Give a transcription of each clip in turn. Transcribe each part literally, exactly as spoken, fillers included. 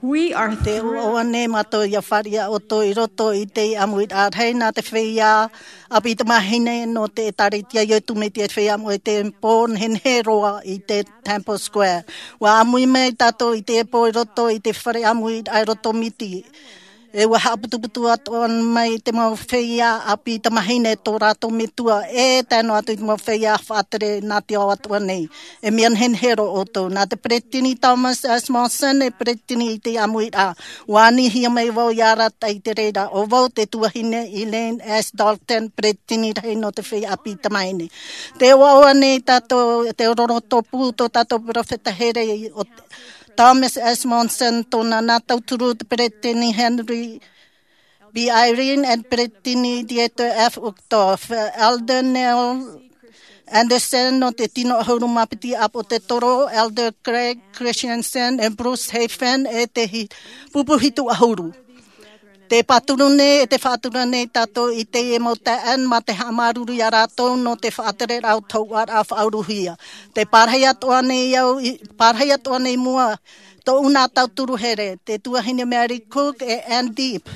Te ʻoaʻoa nei mātou ia fāriʻi ʻoutou i roto i te ʻāmuiraʻa rahi nā te feiā ʻāpī tamāhine nō te ʻĒtārētia a Iesu Mesia, te feiā ʻāmui i te pō nehenehe roa i te Temple Square. ʻUa ʻāmui mai tātou i te pō i roto i te fare ʻāmuiraʻa i roto Miti. E ʻua haʻaputuputu atoʻa mai te mau feiā ʻāpī tamāhine tō rātou metua e tae noa atu i te mau feiā faʻatere nā te ao atoʻa nei. E mea nehenehe roa ʻoutou. Nā te peresideni Thomas S. Monson e peresideni i te ʻāmuiraʻa. ʻUa anihia mai vau ia rātou i te reira. ʻO vau te tuahine Elaine S. Dalton, peresideni rahi nō te feiā ʻāpī tamāhine. Te ʻoaʻoa nei tātou, te roroto pū tō tātou peropheta here o Thomas S. Monson, tōna nā tauturu te peresideni Henry B. Eyring, e te peresideni Dieter F. Uchtdorf, Elder Neil Andersen nō te tino ʻahuru mā piti ʻāpōsetolo, Elder Craig Christensen, e Bruce Hafen, e te hi-, pupu hitu ʻahuru. Te pāturu nei, e te faʻatura nei tātou i teie mau taeaʻe mā te haʻamāuruuru ia rātou nō te faʻatereraʻa o te hōhoʻaraʻa faʻauruhia. Te pārahi atoʻa nei au, i, pārahi atoʻa nei mua, tōʻu nā tauturu here, te tuahine Mary Cook e Ann Deep.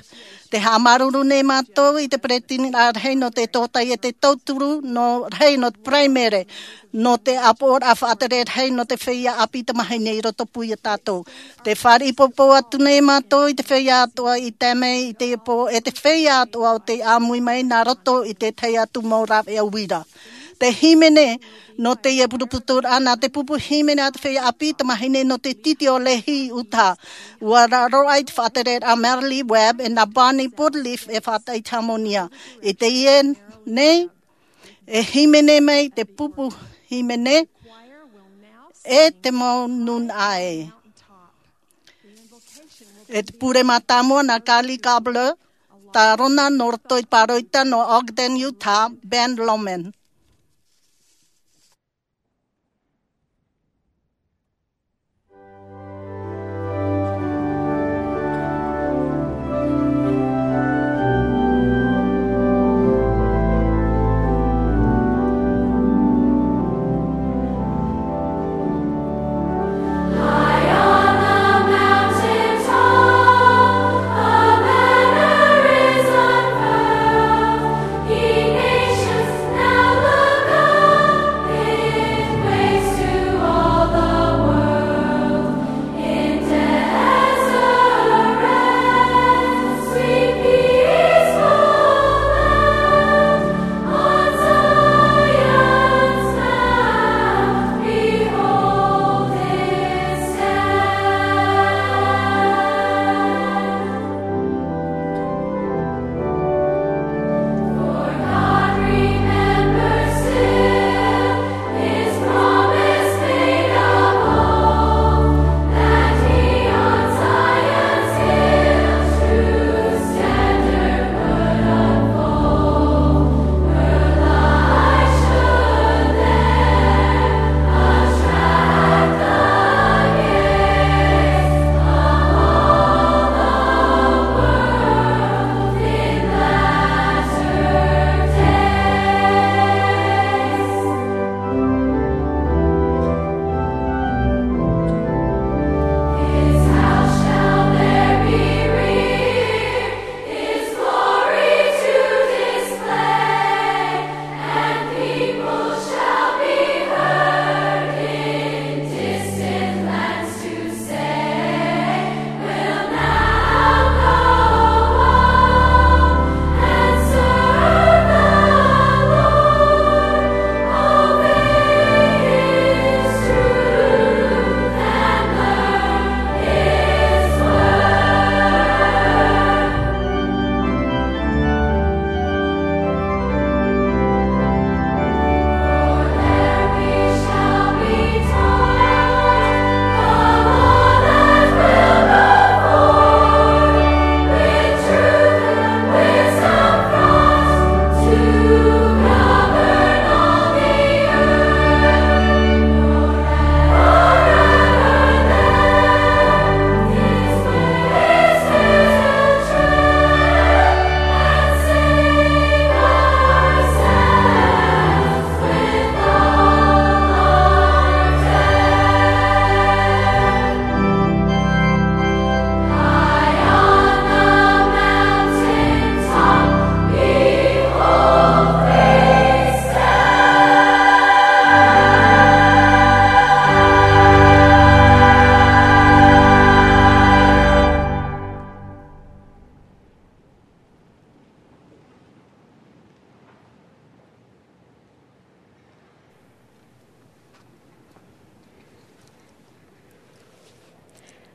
Te haʻamāuruuru nei mātou i te peresideni rahi nō te tōtaiete tauturu, nō rahi nō te paraimere, nō te ʻāpoʻoraʻa faʻatere rahi nō te feiā ʻāpī tamāhine i roto pū ia tātou. Te fāriʻi poupou atu nei mātou i te feiā atoʻa i tae mai i teie pō, e te feiā atoʻa o tei ʻāmui mai nā roto i te tahi atu mau rāveʻa uira. Te hīmene nō teie putuputu ra, nā te pupu hīmene a te feiā ʻāpī tamāhine nō te tītī o Lehi, Utah. ʻUa raro ai te faʻatereraʻa a Marilee Webb e nā Bonnie Boodleaf e faʻataʻi i te hāmonia. I teie nei, e hīmene mai te pupu hīmene e te mau nūnaʻa ē. E te pure mātāmua nā Carly Kabler, tā Rona nō roto i te pāroita nō Ogden, Utah, Ben Lomond.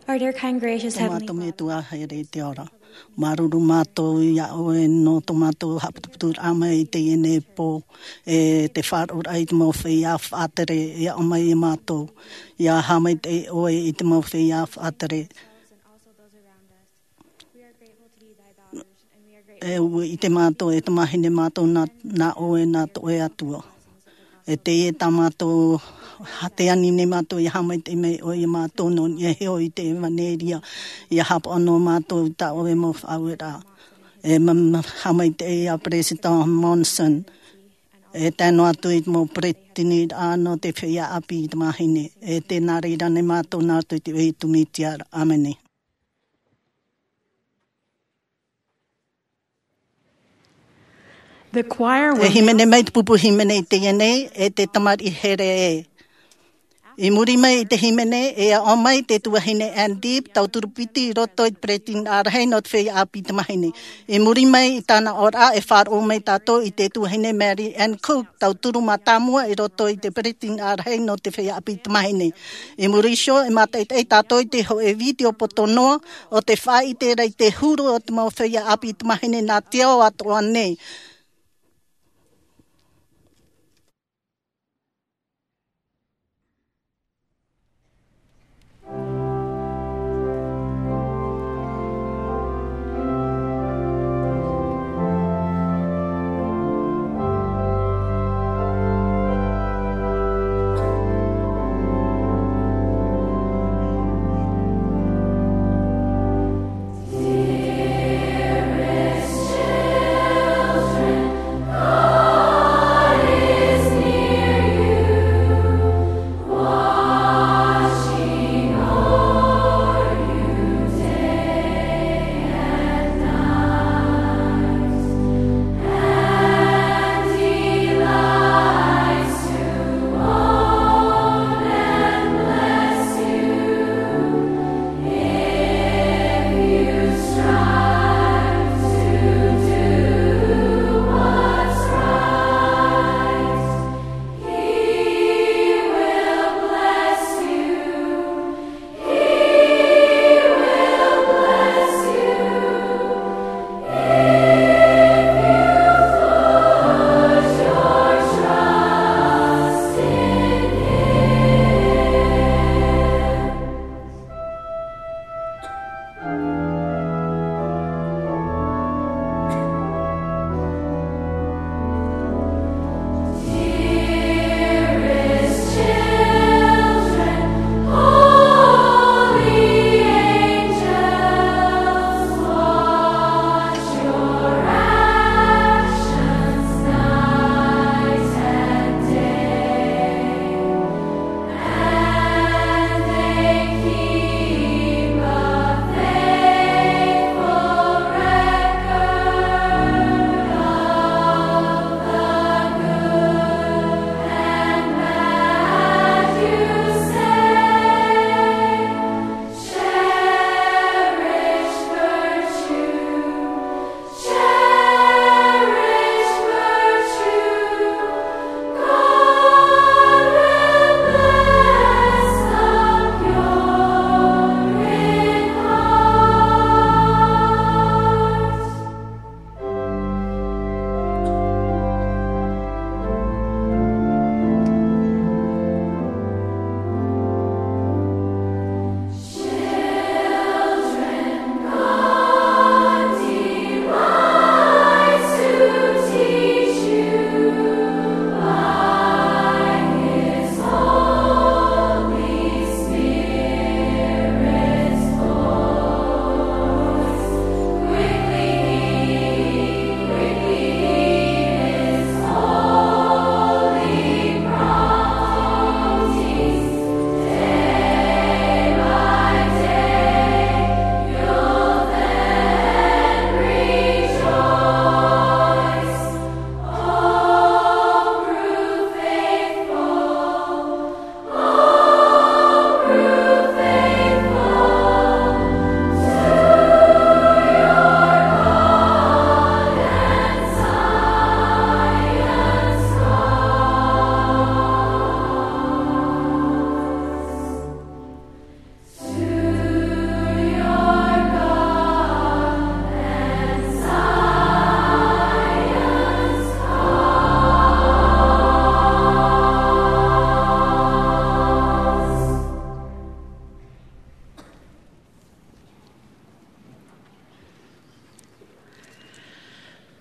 Our dear, kind, gracious Heavenly Father. Tō mātou Metua here i te ao ra. Māuruuru mātou iā ʻoe nō tō mātou haʻaputuputuraʻa mai i teie nei pō, e te faʻaroʻoraʻa i te mau feiā faʻatere, e aʻo mai iā mātou. ʻIa haʻamaitaʻi ʻoe i te mau feiā faʻatere. E ʻua ʻite mātou, e tamahine mātou nā, nā ʻoe, nā tō ʻoe Atua. E teie tā mātou, ha-, tē ani nei mātou ʻia haʻamaitaʻi mai ʻoe iā mātou nō niʻa iho i te ʻevaneria, ʻia haʻapaʻo noa mātou i tā ʻoe mau faʻaueraʻa. E ma-, ma-, haʻamaitaʻi iā Peresideni Monson, e tae noa atu i te mau peresideni nō te feiā ʻāpī tamahine, e tē nā reira nei mātou nā roto i te iʻoa o Iesu Mesia. ʻĀmene. The choir will E hīmene mai te pupu hīmene i teie nei, e te tamariʻi here ē. I muri mai i te hīmene, e aʻo mai te tuahine Ann Deeb, tauturu piti i roto i te peretiteni rahi nō te feiā ʻāpī tamahine. I muri mai i tāna aʻoraʻa, e faʻaroʻo mai tātou i te tuahine Mary Ann Cook, tauturu mātāmua i roto i te peretiteni rahi nō te feiā ʻāpī tamahine. I muri iho, e mātaʻitaʻi tātou i te hōʻē vitiō poto noa, ʻo tē faʻaʻite ra i te huru o te mau feiā ʻāpī tamahine nā te ao atoʻa nei.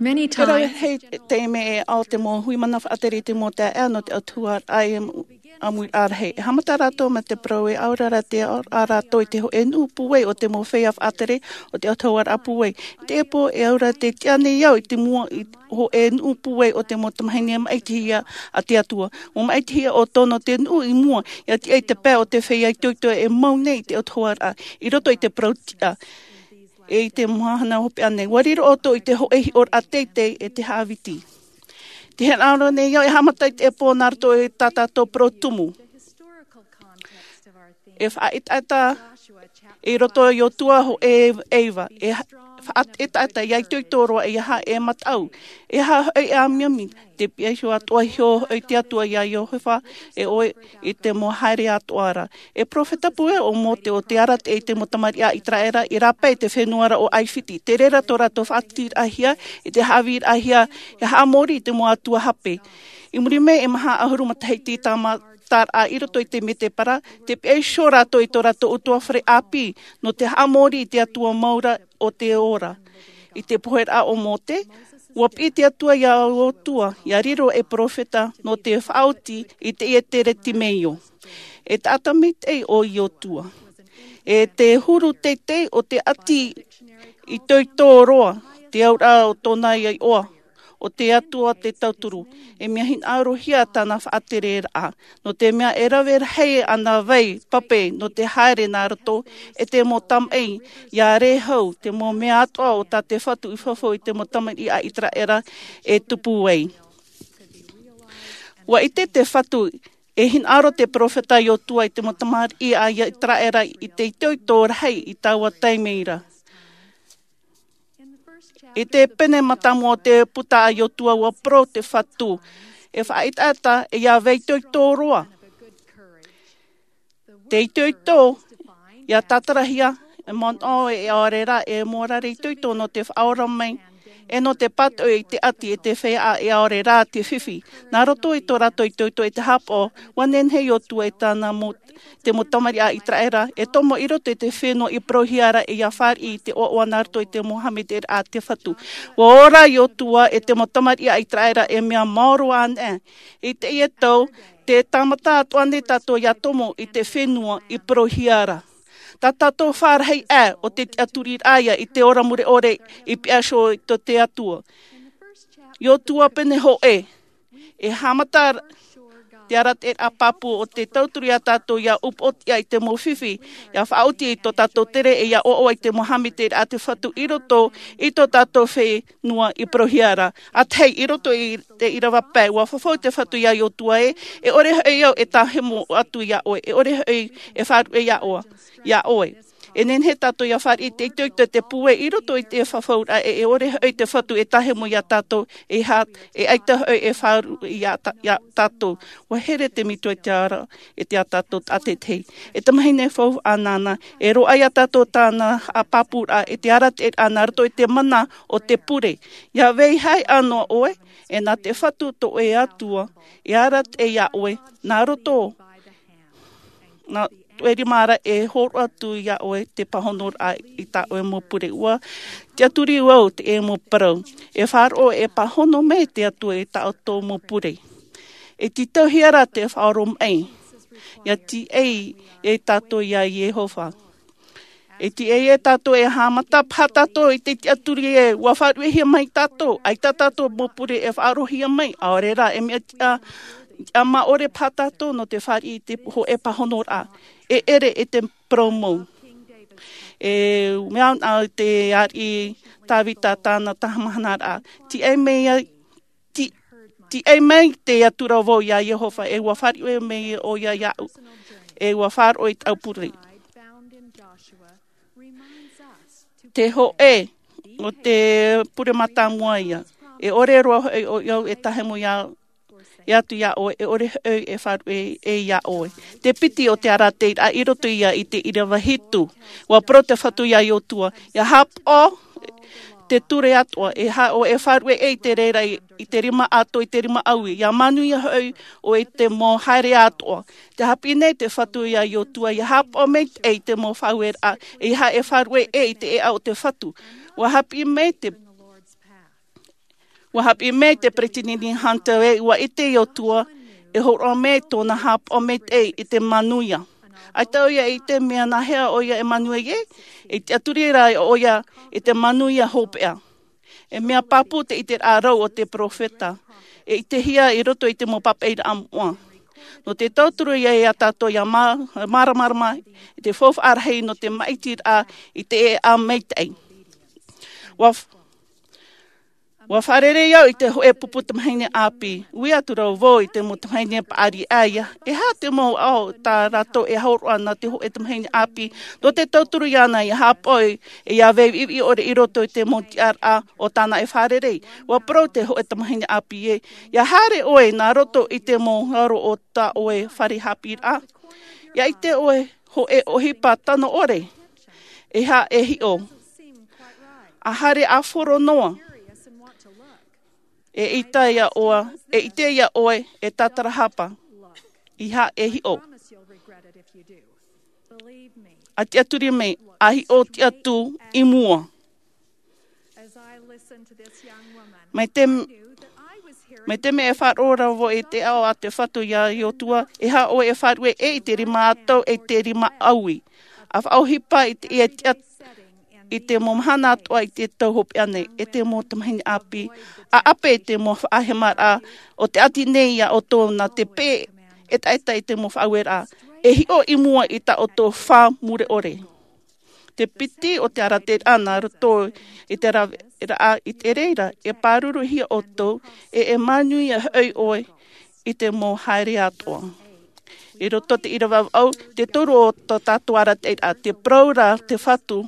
Many times, e rave rahi te mea e ao te mau hui mana faʻatere i te mau taeaʻe nō te autahuʻaraʻa e ʻāmuiraʻa rahi. E haʻamata rātou mā te parau e ʻaore rā te ao rātou i te hōʻē nuʻu pūai o te mau feiā faʻatere o te autahuʻaraʻa pūai. I te pō e ʻaore rā te tiʻa nei au i te mua i hōʻē nuʻu pūai o te mau tamahine maʻitihia a te Atua. Mau maʻitihia ʻoutou nō te nuʻu i mua, ʻia tiʻa i te pae o te feiā itoito e mau nei i te autahuʻaraʻa, i roto i te parau tiʻa. E i te mahana hopeʻa nei, ʻua riro ʻoutou i te hōʻē hiʻoraʻa teitei e te haʻaviti. Te hinaʻaro nei au e haʻamata i te pō nā roto i tā tātou parau tumu. E faʻaʻetaʻeta i roto i Iosua hōʻē e iva. E ha-, faʻaʻetaʻeta ʻia itoito roa, ʻeiaha e mataʻu, ʻeiaha hoʻi e amiami, te pihaʻi iho atoʻa iho hoʻi te Atua iā Iehova, e ʻoe i te mau haere atoʻa ra. E peropheta pūai ʻo Mōte ʻo te arataʻi i te mau tamariʻi a Iseraela i rāpae i te fenua ra ʻo ʻAifiti. Terā tō rātou faʻaʻiteraʻahia i te haʻavīraʻahia, e haʻamori i te mau atua hape. I muri mai e maha ʻahuru matahiti tāmata ra i roto i te Medebara, tē pihaʻi iho rātou i tō rātou ʻutuāfare ʻāpī, nō te haʻamori i te Atua mau ra o te ora. I te poheraʻa o Mōte, ʻua piʻi te Atua iā Iosua, ʻia riro ei peropheta nō te faʻaoti i teie teretimeio. E taʻata maitaʻi ʻo Iosua. E te huru teitei o te ʻati itoito roa, te auraʻa o tōna iʻoa, ʻo te Atua te tauturu. E mea hinaʻarohia tāna faʻatereraʻa. Nō te mea e rave rahi ana vai pape nō te haere nā roto, e te mau tamaʻi, ʻia rē hau, te mau mea atoʻa o tā te Fatu i fafau i te mau tamariʻi a Iseraela e tupu ai. ʻUa ʻite te Fatu, e hinaʻaro te peropheta Iosua i te mau tamariʻi a Iseraela i te itoito rahi i taua taime ra. I te pene mātāmua o te puta a Iosua ʻua parau te Fatu, e faʻaʻetaʻeta e ʻia vai itoito roa. Te itoito, ʻia tātarahia, e manaʻo e ʻaore rā, e mōrare itoito nō te faʻaora mai, e nō te pātoʻi i te ʻati e te feiā e ʻaore rā te fifi. Nā roto i tō rātou itoito e te hāpaʻo, ʻua nehenehe Iosua e tāna mau te mau tamariʻi a Iseraela, e tomo i roto i te fenua i parauhia ra e ʻia fāriʻi i te ʻoaʻoa nā roto i te mau haʻamaitaʻiraʻa a te Fatu. ʻUa ora Iosua e te mau tamariʻi a Iseraela e mea maoro ana. I teie tau, tē tāmata atoʻa nei tātou ʻia tomo i te fenua i parauhia ra. Tā tātou fārahi aʻe o te tiʻaturiraʻa ïa i te ora mure ʻore i pihaʻi iho i tō te Atua. Iosua pene hōʻē, e haʻamata te arataʻiraʻa pāpū o te tauturu iā tātou ʻia upoʻotiʻa i te mau fifi, ʻia faʻaoti i tō tātou tere e ʻia ʻoaʻoa i te mau haʻamaitaʻiraʻa a te Fatu i roto i tō tātou fenua i parauhia ra. ʻA tahi, i roto i te ʻīrava pae, ʻua fafau te Fatu iā Iosua ē, e ʻore hoʻi au e tāhemo atu iā ʻoe, e ʻore hoʻi e faʻaruʻe iā ʻoe, iā ʻoe. E nehenehe tātou ʻia fāriʻi i te itoito e te pūai i roto i te fafauraʻa ē, e ʻore hoʻi te Fatu e tāhemo iā tātou, e ha-, e ʻaita hoʻi e faʻaruʻe iā ta-, iā tātou. ʻUa here te Metua i te ara, e te ā tātou tātaʻitahi. E tamahine faufaʻa nāna, e roaʻa iā tātou tāna haʻapāpūraʻa, e te arataʻiraʻa nā roto i te mana o te pure. ʻIa vai haere noa ʻoe, e nā te Fatu tō ʻoe Atua, e arataʻi iā ʻoe, nā roto nā tō ʻoe rima ra e hōroʻa atu iā ʻoe te pāhonoraʻa i tā ʻoe mau pure. ʻUa tiʻaturi au i teie mau parau. E faʻaroʻo e pāhono mai te Atua i tā ʻoutou mau pure. E tītauhia rā te faʻaoromaʻi. ʻIa tiʻa iā tātou iā Iehova. E tiʻa iā tātou e haʻamata paha tātou i te tiʻaturi ē, ʻua faʻaruʻehia mai tātou, ʻaita tātou mau pure e faʻaroʻohia mai, ʻaore rā, e mea tiʻa, tiʻa maʻore paha tātou nō te fāriʻi i te hōʻē pāhonoraʻa. E ʻere e te parau mau. E mea ana te ariʻi Tavita tāna taha mahana ra. Tiʻa mai iā, ti-, tiʻa mai te atura vau iā Iehova, e ʻua faʻaruʻe mai ʻoia iāʻu, e ʻua faʻaroʻo i tāʻu pure. Te hōʻē o te pure mātāmua ïa. E ʻore roa hoʻi ʻoe e tāhemo iā, ʻē atu iā ʻoe, e ʻore hoʻi e faʻaruʻe iā ʻoe. Te piti o te arataʻiraʻa i roto ïa i te ʻīrava hitu. ʻUa parau te Fatu iā Iosua, ʻia haʻapaʻo te ture atoʻa, e ha-, ʻoe e faʻaruʻe i te reira i, i te rima atoʻa, i te rima ʻaui, ʻia manuia hoʻi ʻoe i te mau haere atoʻa. Tē haʻapiʻi nei te Fatu iā Iosua, ʻia haʻapaʻo maitaʻi i te mau faʻaueraʻa, e ʻeiaha e faʻaruʻe i te ʻēʻa o te Fatu. ʻUa haʻapiʻi mai te, Ua haʻapiʻi mai te peresideni Hunter ē, ua ʻite ʻo Iosua e hōroʻa mai tōna haʻapaʻo maitaʻi i te manuia. ʻAita ʻoia e ʻite mea nāhea ʻoia e manuia ai, e tiʻaturi rā ʻoia i te manuia hopeʻa. E mea pāpū te ʻiteraʻa rau o te peropheta, e ʻitehia i roto i te mau papaʻiraʻa moʻa. Nō te tauturu ia e ia tātou ia mā-, māramarama i te faufaʻa rahi nō te māʻitiraʻa i te ʻēʻa maitaʻi. Ua f-, ua fārerei au i te hōʻē pupu tamahine ʻāpī. Ui atu rā vau i te mau tamahine paʻari ʻaia, e aha te mau ao tā rātou e hōroʻa nā te hōʻē tamahine ʻāpī, nō te tauturu iāna ia haʻapaʻo e ia vaiviʻiviʻi ʻore i roto i te mau tiʻaraʻa o tāna e fārerei. Ua parau te hōʻē tamahine ʻāpī ē, ia haere ʻoe nā roto i te mau ngaro o tā ʻoe fare haʻapiʻiraʻa. Ia ʻite ʻoe hōʻē ʻohipa tano ʻore. E aha e hiʻo? A haere a horo noa. E ʻite ia ʻoe, e ʻite ia ʻoe e tātarahapa. E aha e hiʻo? A tiʻaturi mai, a hiʻo tiʻa atu i mua. Mai te, mai te mea e faʻaroʻo ra vau i te ao a te Fatu ia Iosua, e aha ʻoe e faʻaruʻe i te rima ʻātau e te rima ʻaui. A faʻaʻohipa i te ia tiʻa i te mau mahana atoʻa i te tau hopeʻa nei, e te mau tamahine ʻāpī. A ʻape i te mau faʻahemaraʻa o te ati nei ia ʻoutou nā te peʻe etaeta i te mau faʻaueraʻa. E hiʻo i mua i tā ʻoutou fā mure ʻore. Te piti o te arataʻiraʻa nā roto i te raveraʻa i te reira, e pāruruhia ʻoutou, e e manuia hoʻi ʻoe i te mau haere atoʻa. I roto te ʻīrava vaʻu, te toru o tō tātou arataʻiraʻa, te parau ra te Fatu,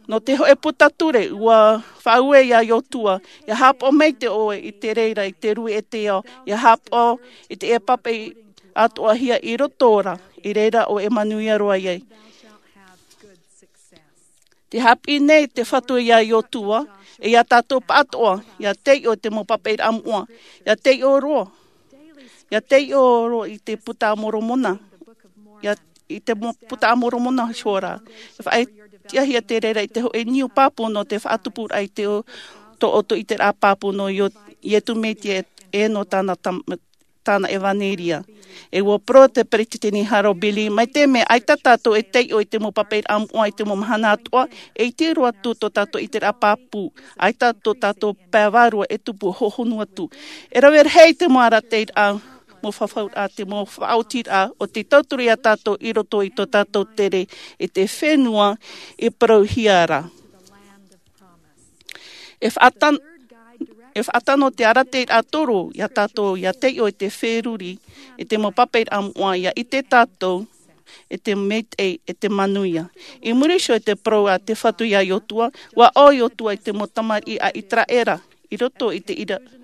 nō te hōʻē puta ture, ua faʻaue ia Iosua, ia haʻapaʻo maitaʻi ʻoe i te reira, i te rue e te ao, ia haʻapaʻo i te e papaʻi atoʻahia i roto ra, i reira ʻoe e manuia roa ai. Te haʻapiʻi nei te Fatu ia Iosua, e ia tātou pāʻatoʻa, ia taiʻo i te mau papaʻiraʻa moʻa, ia taiʻo roa, ia taiʻo roa i te Puta a Moromona, ia, i te mo-, Puta a Moromona hoʻi ra. E faʻatiʻahia te reira i te hōʻē niu pāpū nō te faʻatupuraʻa i te o-, tō ʻoutou ʻiteraʻa pāpū nō Io-, Iesu Mesia e nō tāna tam-, tāna ʻevaneria. E ua parau te peresideni Harold B. Lee, mai te mea ʻaita tātou e taiʻo i te mau papaʻiraʻa moʻa i te mau mahana atoʻa, e iti roa atu tō tātou ʻiteraʻa pāpū, ʻaita tō tātou pae vārua e tupu hohonu atu. E rave rahi te mau arataʻiraʻa, mau fafauraʻa, te mau faʻaotiraʻa, o te tauturu ia tātou i roto i tō tātou tere i te fenua i parauhia ra. E faʻatan-, e faʻatano te arataʻiraʻa toru ia tātou, ia taiʻo i te feruri, i te mau papaʻiraʻa moʻa, ia ʻite tātou, i te maitaʻi, i te manuia. I muri iho i te parau a te Fatu ia Iosua, ua ʻō Iosua i te mau tamariʻi a Iseraela, i roto i te ʻīra-,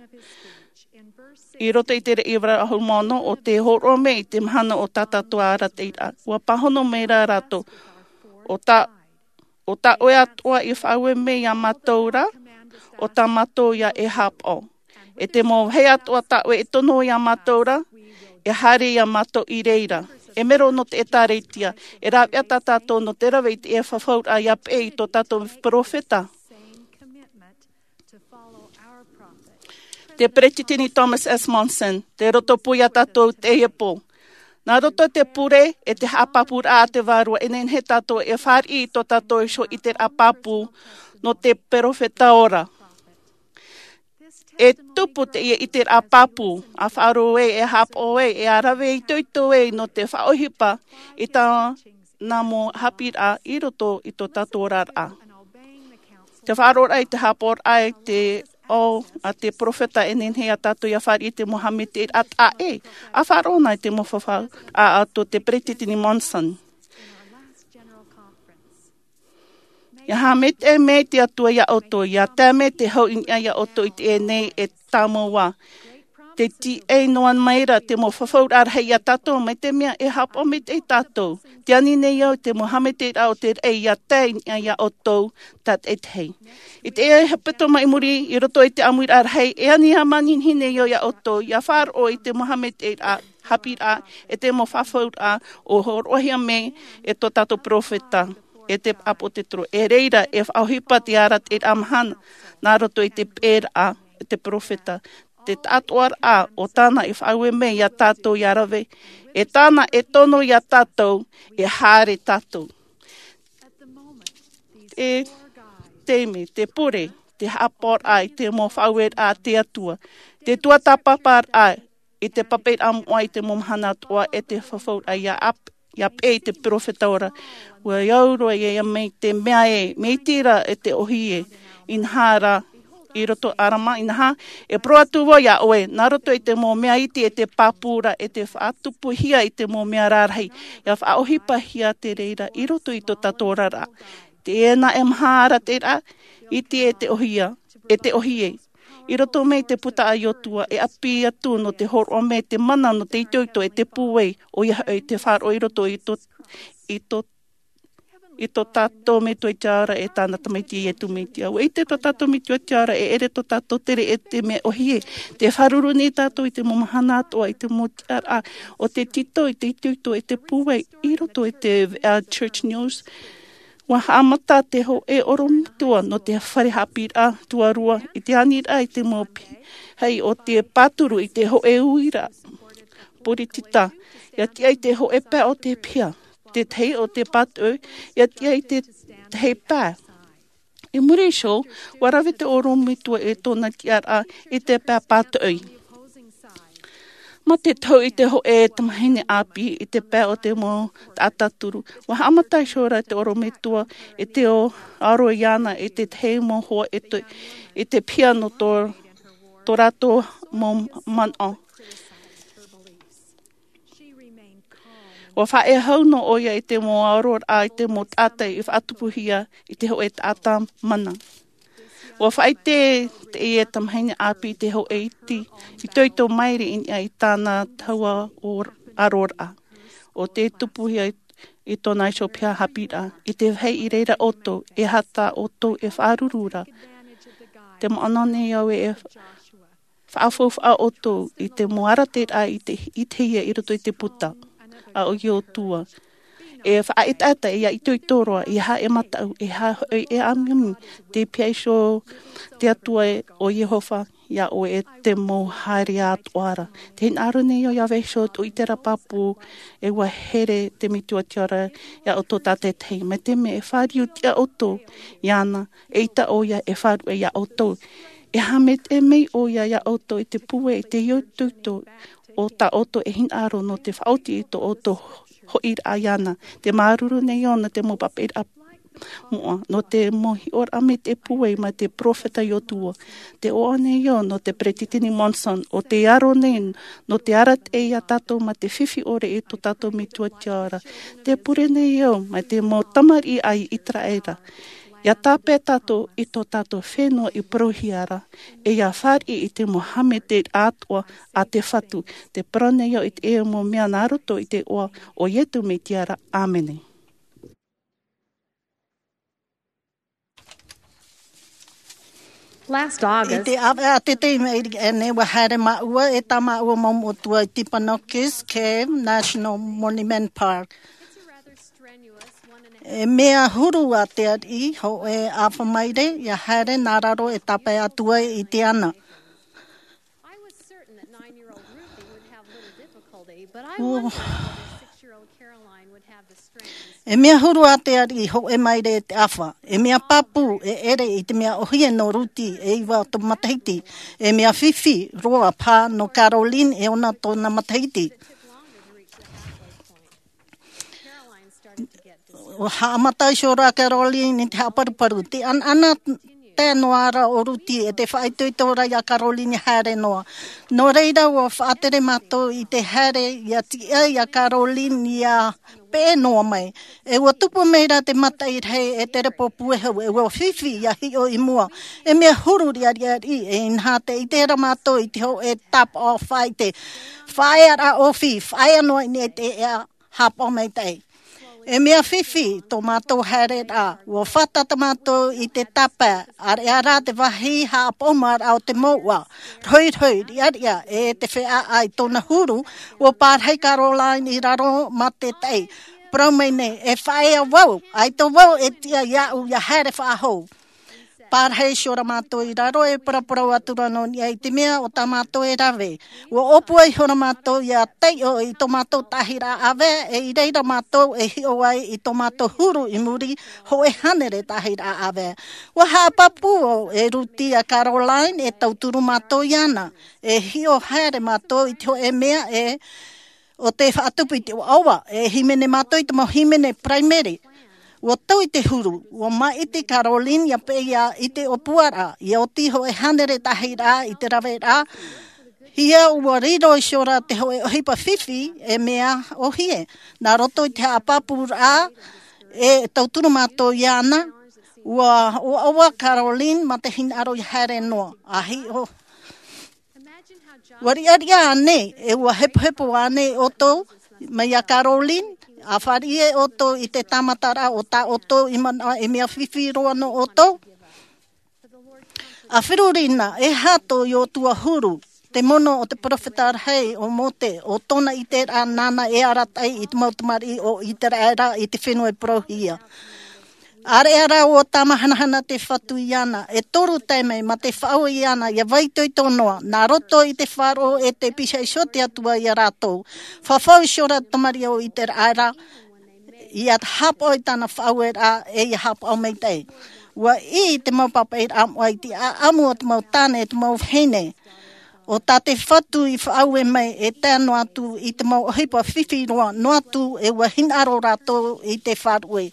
i roto i te ʻīrava ʻahuru mā ono o te hōroʻa mai i te mahana o tā tātou arataʻiraʻa. Ua pāhono mai ra rātou, ʻo tā ʻo tā ʻoe atoʻa i faʻaue mai ia mātou ra, ʻo tā mātou ia e haʻapaʻo. E te mau vāhi atoʻa tā ʻoe e tono ia mātou ra, e haere ia mātou i reira. E mero nō te ʻĒtārētia, e rāveʻa tā tātou nō te rave i te fafauraʻa ia peʻe i tō tātou peropheta. Te Peresideni Thomas S. Monson, te roto pū ia tātou te ʻēpō. Nā roto te pure e te haʻapāpūraʻa a te Vārua e nehenehe tātou e fāriʻi i tō tātou iho ʻiteraʻa pāpū nō te peropheta ora. E tupu teie ʻiteraʻa pāpū, a faʻaroʻo ai, e haʻapaʻo ai, e rave itoito ai nō te faʻaʻohipa i tā nā mau haʻapiʻiraʻa i roto i tō tātou oraraʻa. Te faʻaroʻoraʻa i te haʻapaʻoraʻa i te ao a te peropheta e nehenehe ia tātou ia fāriʻi i te mau haʻamaitaʻiraʻa taʻa ʻē, a faʻaroʻo na i te mau fafauraʻa a tō te Peresideni Monson. Ia haʻamaitaʻi mai te Atua ia ʻoutou, ia tae mai te hau i niʻa ia ʻoutou i teie nei e tāmau ā. Te tīaʻi noa mai ra te mau fafauraʻa rahi ia tātou, mai te mea e haʻapaʻo maitaʻi tātou. Tē ani nei au i te mau haʻamaitaʻiraʻa o te raʻi ia tae i niʻa ia ʻoutou tātaʻitahi. I teie hepetoma i muri, i roto i te ʻāmuiraʻa rahi, e ani ā manihini nei au ia ʻoutou, ia faʻaroʻo i te mau haʻamaitaʻiraʻa, haʻapiʻiraʻa, e te mau fafauraʻa, ʻo hōroʻahia mai e tō tātou peropheta. e te pāpū o te toro. E reira, e faʻaʻohipa te arataʻiraʻa mahana, nā roto i te pēraʻa, e te peropheta. Te taʻatoʻaraʻa o tāna e faʻaue mai iā tātou ia rave, e tāna e tono iā tātou, e haere tātou. E te mea, te pure, te haʻapaʻoraʻa i te mau faʻaueraʻa a te Atua, te tuatāpaparaʻa i te papaʻiraʻa moʻa i te mau mahana atoʻa e te fafauraʻa ia ap-, ia pē i te peropheta ora. Ua au roa ia, ia mai te mea e, mea iti ra e te ʻohie, inaha rā, i roto Arama, inaha, e parau atu vau iā ʻoe, nā roto i te mau mea iti e te pāpūraʻa, e te faʻatupuhia i te mau mea rarahi, ia faʻaʻohipahia te reira, i roto i tō tātou oraraʻa. Teie nā e maha arataʻiraʻa, iti e te ʻohie, e te ʻohie. I roto mai te puta a Iotua, e ʻāpī atu nō te hōroʻa mai te mana nō te itoito e te pūai, ʻoia hoʻi te faʻaroʻo i roto i tō, i tō, i tō tātou Metua i te ao ra e tāna Tamaiti Iesu Mesia. ʻUa ʻite tō tātou Metua i te ao ra e ʻere tō tātou tere e te mea ʻohie. Te fāruru nei tātou i te mau mahana atoʻa i te mau tiʻaraʻa o te tito i te itoito e te pūai i roto i te, uh, Church News. ʻUa haʻamata te hōʻē ʻorometua nō te fare haʻapiʻiraʻa tuarua i te aniraʻa i te mau pīhaʻi o te pāturu i te hōʻē uiraʻa poritita. Ia tiʻa i te hōʻē pae o te piha, te tahi o te pātoʻi, ia tiʻa i te tahi pae. I muri iho, ʻua rave te ʻorometua e tōna tiʻaraʻa i te pae pātoʻi. Mā te tau i te hōʻē tamahine ʻāpī i te pae o te mau taʻata turu. ʻUa haʻamata iho ra te ʻorometua e te ʻo aro iāna i te tahi mau hoa e te, i te piha nō tō, tō rātou mau manaʻo. ʻUa faʻaea hau noa ʻoia i te mau aroraʻa i te mau taʻata i faʻatupuhia i te hōʻē taʻata mana. ʻUa faʻaʻite teie tamahine ʻāpī i te hōʻē iti, itoito maere i niʻa i tāna taua o-, aroraʻa. ʻO te tupuhia i, i tōna iho piha haʻapiʻiraʻa, i te vāhi i reira ʻoutou, e aha tā ʻoutou e fāruru ra. Te manaʻo nei au e faʻafaufaʻa ʻoutou i te mau arataʻiraʻa i te, i te hia i roto i te puta a ʻo Iotua. E faʻaʻetaʻeta, e itoito roa, e aha e mataʻu, e aha hoʻi e ʻāmiʻomi, tē pihaʻi iho te Atua ʻo Iehova iā ʻoe e te mau haere atoʻa ra. Tē hinaʻaro nei au ia vaiiho ʻoutou i terā pāpū, e ʻua here te Metua i te ao ra iā ʻoutou tātaʻitahi. Mai te mea e fāriu tiʻa ʻoutou iāna, eʻita ʻoia e faʻaruʻe iā ʻoutou. E haʻamaitaʻi mai ʻoia iā ʻoutou i te pūai, i te itoito o tā ʻoutou e hinaʻaro nō te faʻaoti i tō ʻoutou hoʻiraʻa iāna. Tē māuruuru nei au nō te mau papaʻiraʻa moʻa, nō te mau hiʻoraʻa mai te pūai mai te peropheta Iotua. Tē ʻoaʻoa nei au nō te Peresideni Monson, ʻo tē aro nei nō te arataʻi iā tātou mai te fifi ʻore i tō tātou Metua i te ao ra. Tē pure nei au mai te mau tamariʻi a ʻĪteraʻera. ʻIa tāpeʻa tātou i tō tātou fenua i parauhia ra, e ʻia fāriʻi i te mau haʻamaitaʻiraʻa atoʻa a te Fatu. Tē parau nei au i teie mau mea nā roto i te iʻoa o Iesu Mesia ra. ʻĀmene. Last August, i te ʻāvaʻe a te tei mai i nei, ʻua haere māua e tā māua mau moʻotua i Timpanogos Cave National Monument Park. E mea huru a te ariʻi hōʻē ʻāfa maere ʻia haere nā raro e tāpae atu ai i te ana. I was certain that nine-year-old Ruthie would have little difficulty, but I wondered whether six-year-old Caroline would have the strength. E mea huru a te ariʻi hōʻē maere e te ʻāfa. E mea pāpū e ʻere i te mea ʻohie nō Ruthie e iva tōna matahiti. E mea fifi roa paha nō Caroline e ono tōna matahiti. ʻUa haʻamata iho ra Caroline i te haʻaparuparu. Tē ʻanaʻanatae noa ra ʻo Ruthie e tē faʻaitoito ra iā Caroline ʻia haere noa. Nō reira, ʻua faʻatere mātou i te haere ʻia tiʻa iā Caroline ʻia peʻe noa mai. E ʻua tupu mai ra te mataʻi rahi e tere pōpue hau, e ʻua fifi ʻia hiʻo i mua. E mea huru riʻariʻa ariʻi, e inaha tē ʻite ra mātou i te hōʻē tāpaʻo faʻaʻite. Faʻaearaʻa ʻōfī, faʻaea noa i niʻa i te ea haʻapaʻo maitaʻi. E mea fifi tō mātou haereraʻa, ʻua fātata mātou i te tāpae, ʻāreʻa rā te vāhi haʻapaʻo maraʻa o te mouʻa, rohirohi, riʻariʻa, e te feʻaʻa i tōna huru, ʻua pārahi Caroline i raro mā te taʻi. parau mai nei, e faʻaea vau, ʻaita vau e tiʻa iāʻu ia haere faʻahou. Pārahi iho rā mātou i raro, e paraparau atu ra nō niʻa i te mea o tā mātou e rave. ʻUa ʻōpua iho rā mātou ia taiʻo i tō mātou tahi rā ʻāvae, e i reira mātou e hiʻo ai i tō mātou huru i muri hōʻē hānere tahi rā ʻāvae. ʻUa haʻapāpū e Ruti a Caroline e tauturu mātou iāna. E hiʻo haere mātou i te hōʻē mea e, ʻo te faʻatupu i te ʻoaʻoa, e hīmene mātou i te mau hīmene paraimere. ʻUa tau i te huru, ʻua māʻiti Caroline ia peʻe ia i te ʻōpuaraʻa, ia oti hōʻē hānere tahi rā i te rave rā, ia ʻua riro iho ra te hōʻē ʻohipa fifi e mea ʻōhie. Nā roto i te haʻapāpūraʻa, e tauturu mātou iāna, ʻua ʻoaʻoa Caroline mā te hinaʻaro ia haere noa. ʻA hiʻo, ʻua riʻariʻa ānei, e ʻua hepohepo ānei ʻoutou, mai iā Caroline, ʻa fāriʻi ʻoutou i te tāmataraʻa o tā ʻoutou i manaʻo e mea fifi roa nō ʻoutou? ʻA feruri na, e aha tō Iosua huru, te mono o te peropheta rahi o Mose, ʻo tōna ʻiteraʻa nāna e arataʻi i te mau tamariʻi o Iseraela i te fenua e parauhia. ʻĀreʻa rā ʻua tāmahanahana te Fatu iāna, e toru taime mā te faʻaue iāna ia vaiitoito noa, nā roto i te faʻaroʻo e te piha iho te Atua ia rātou. Fafau iho ra te tamariʻi o Iseraela, ia haʻapaʻo i tāna faʻaueraʻa, e ia haʻapaʻo maitaʻi. ʻUa ʻī te mau pāpaʻiraʻa moʻa i te ʻāʻamu o te mau tāne, e te mau vahine. ʻO tā te Fatu i faʻaue mai, e tae noa atu i te mau ʻohipa fifi roa, noa atu e ʻua hinaʻaro rātou i te faʻaue.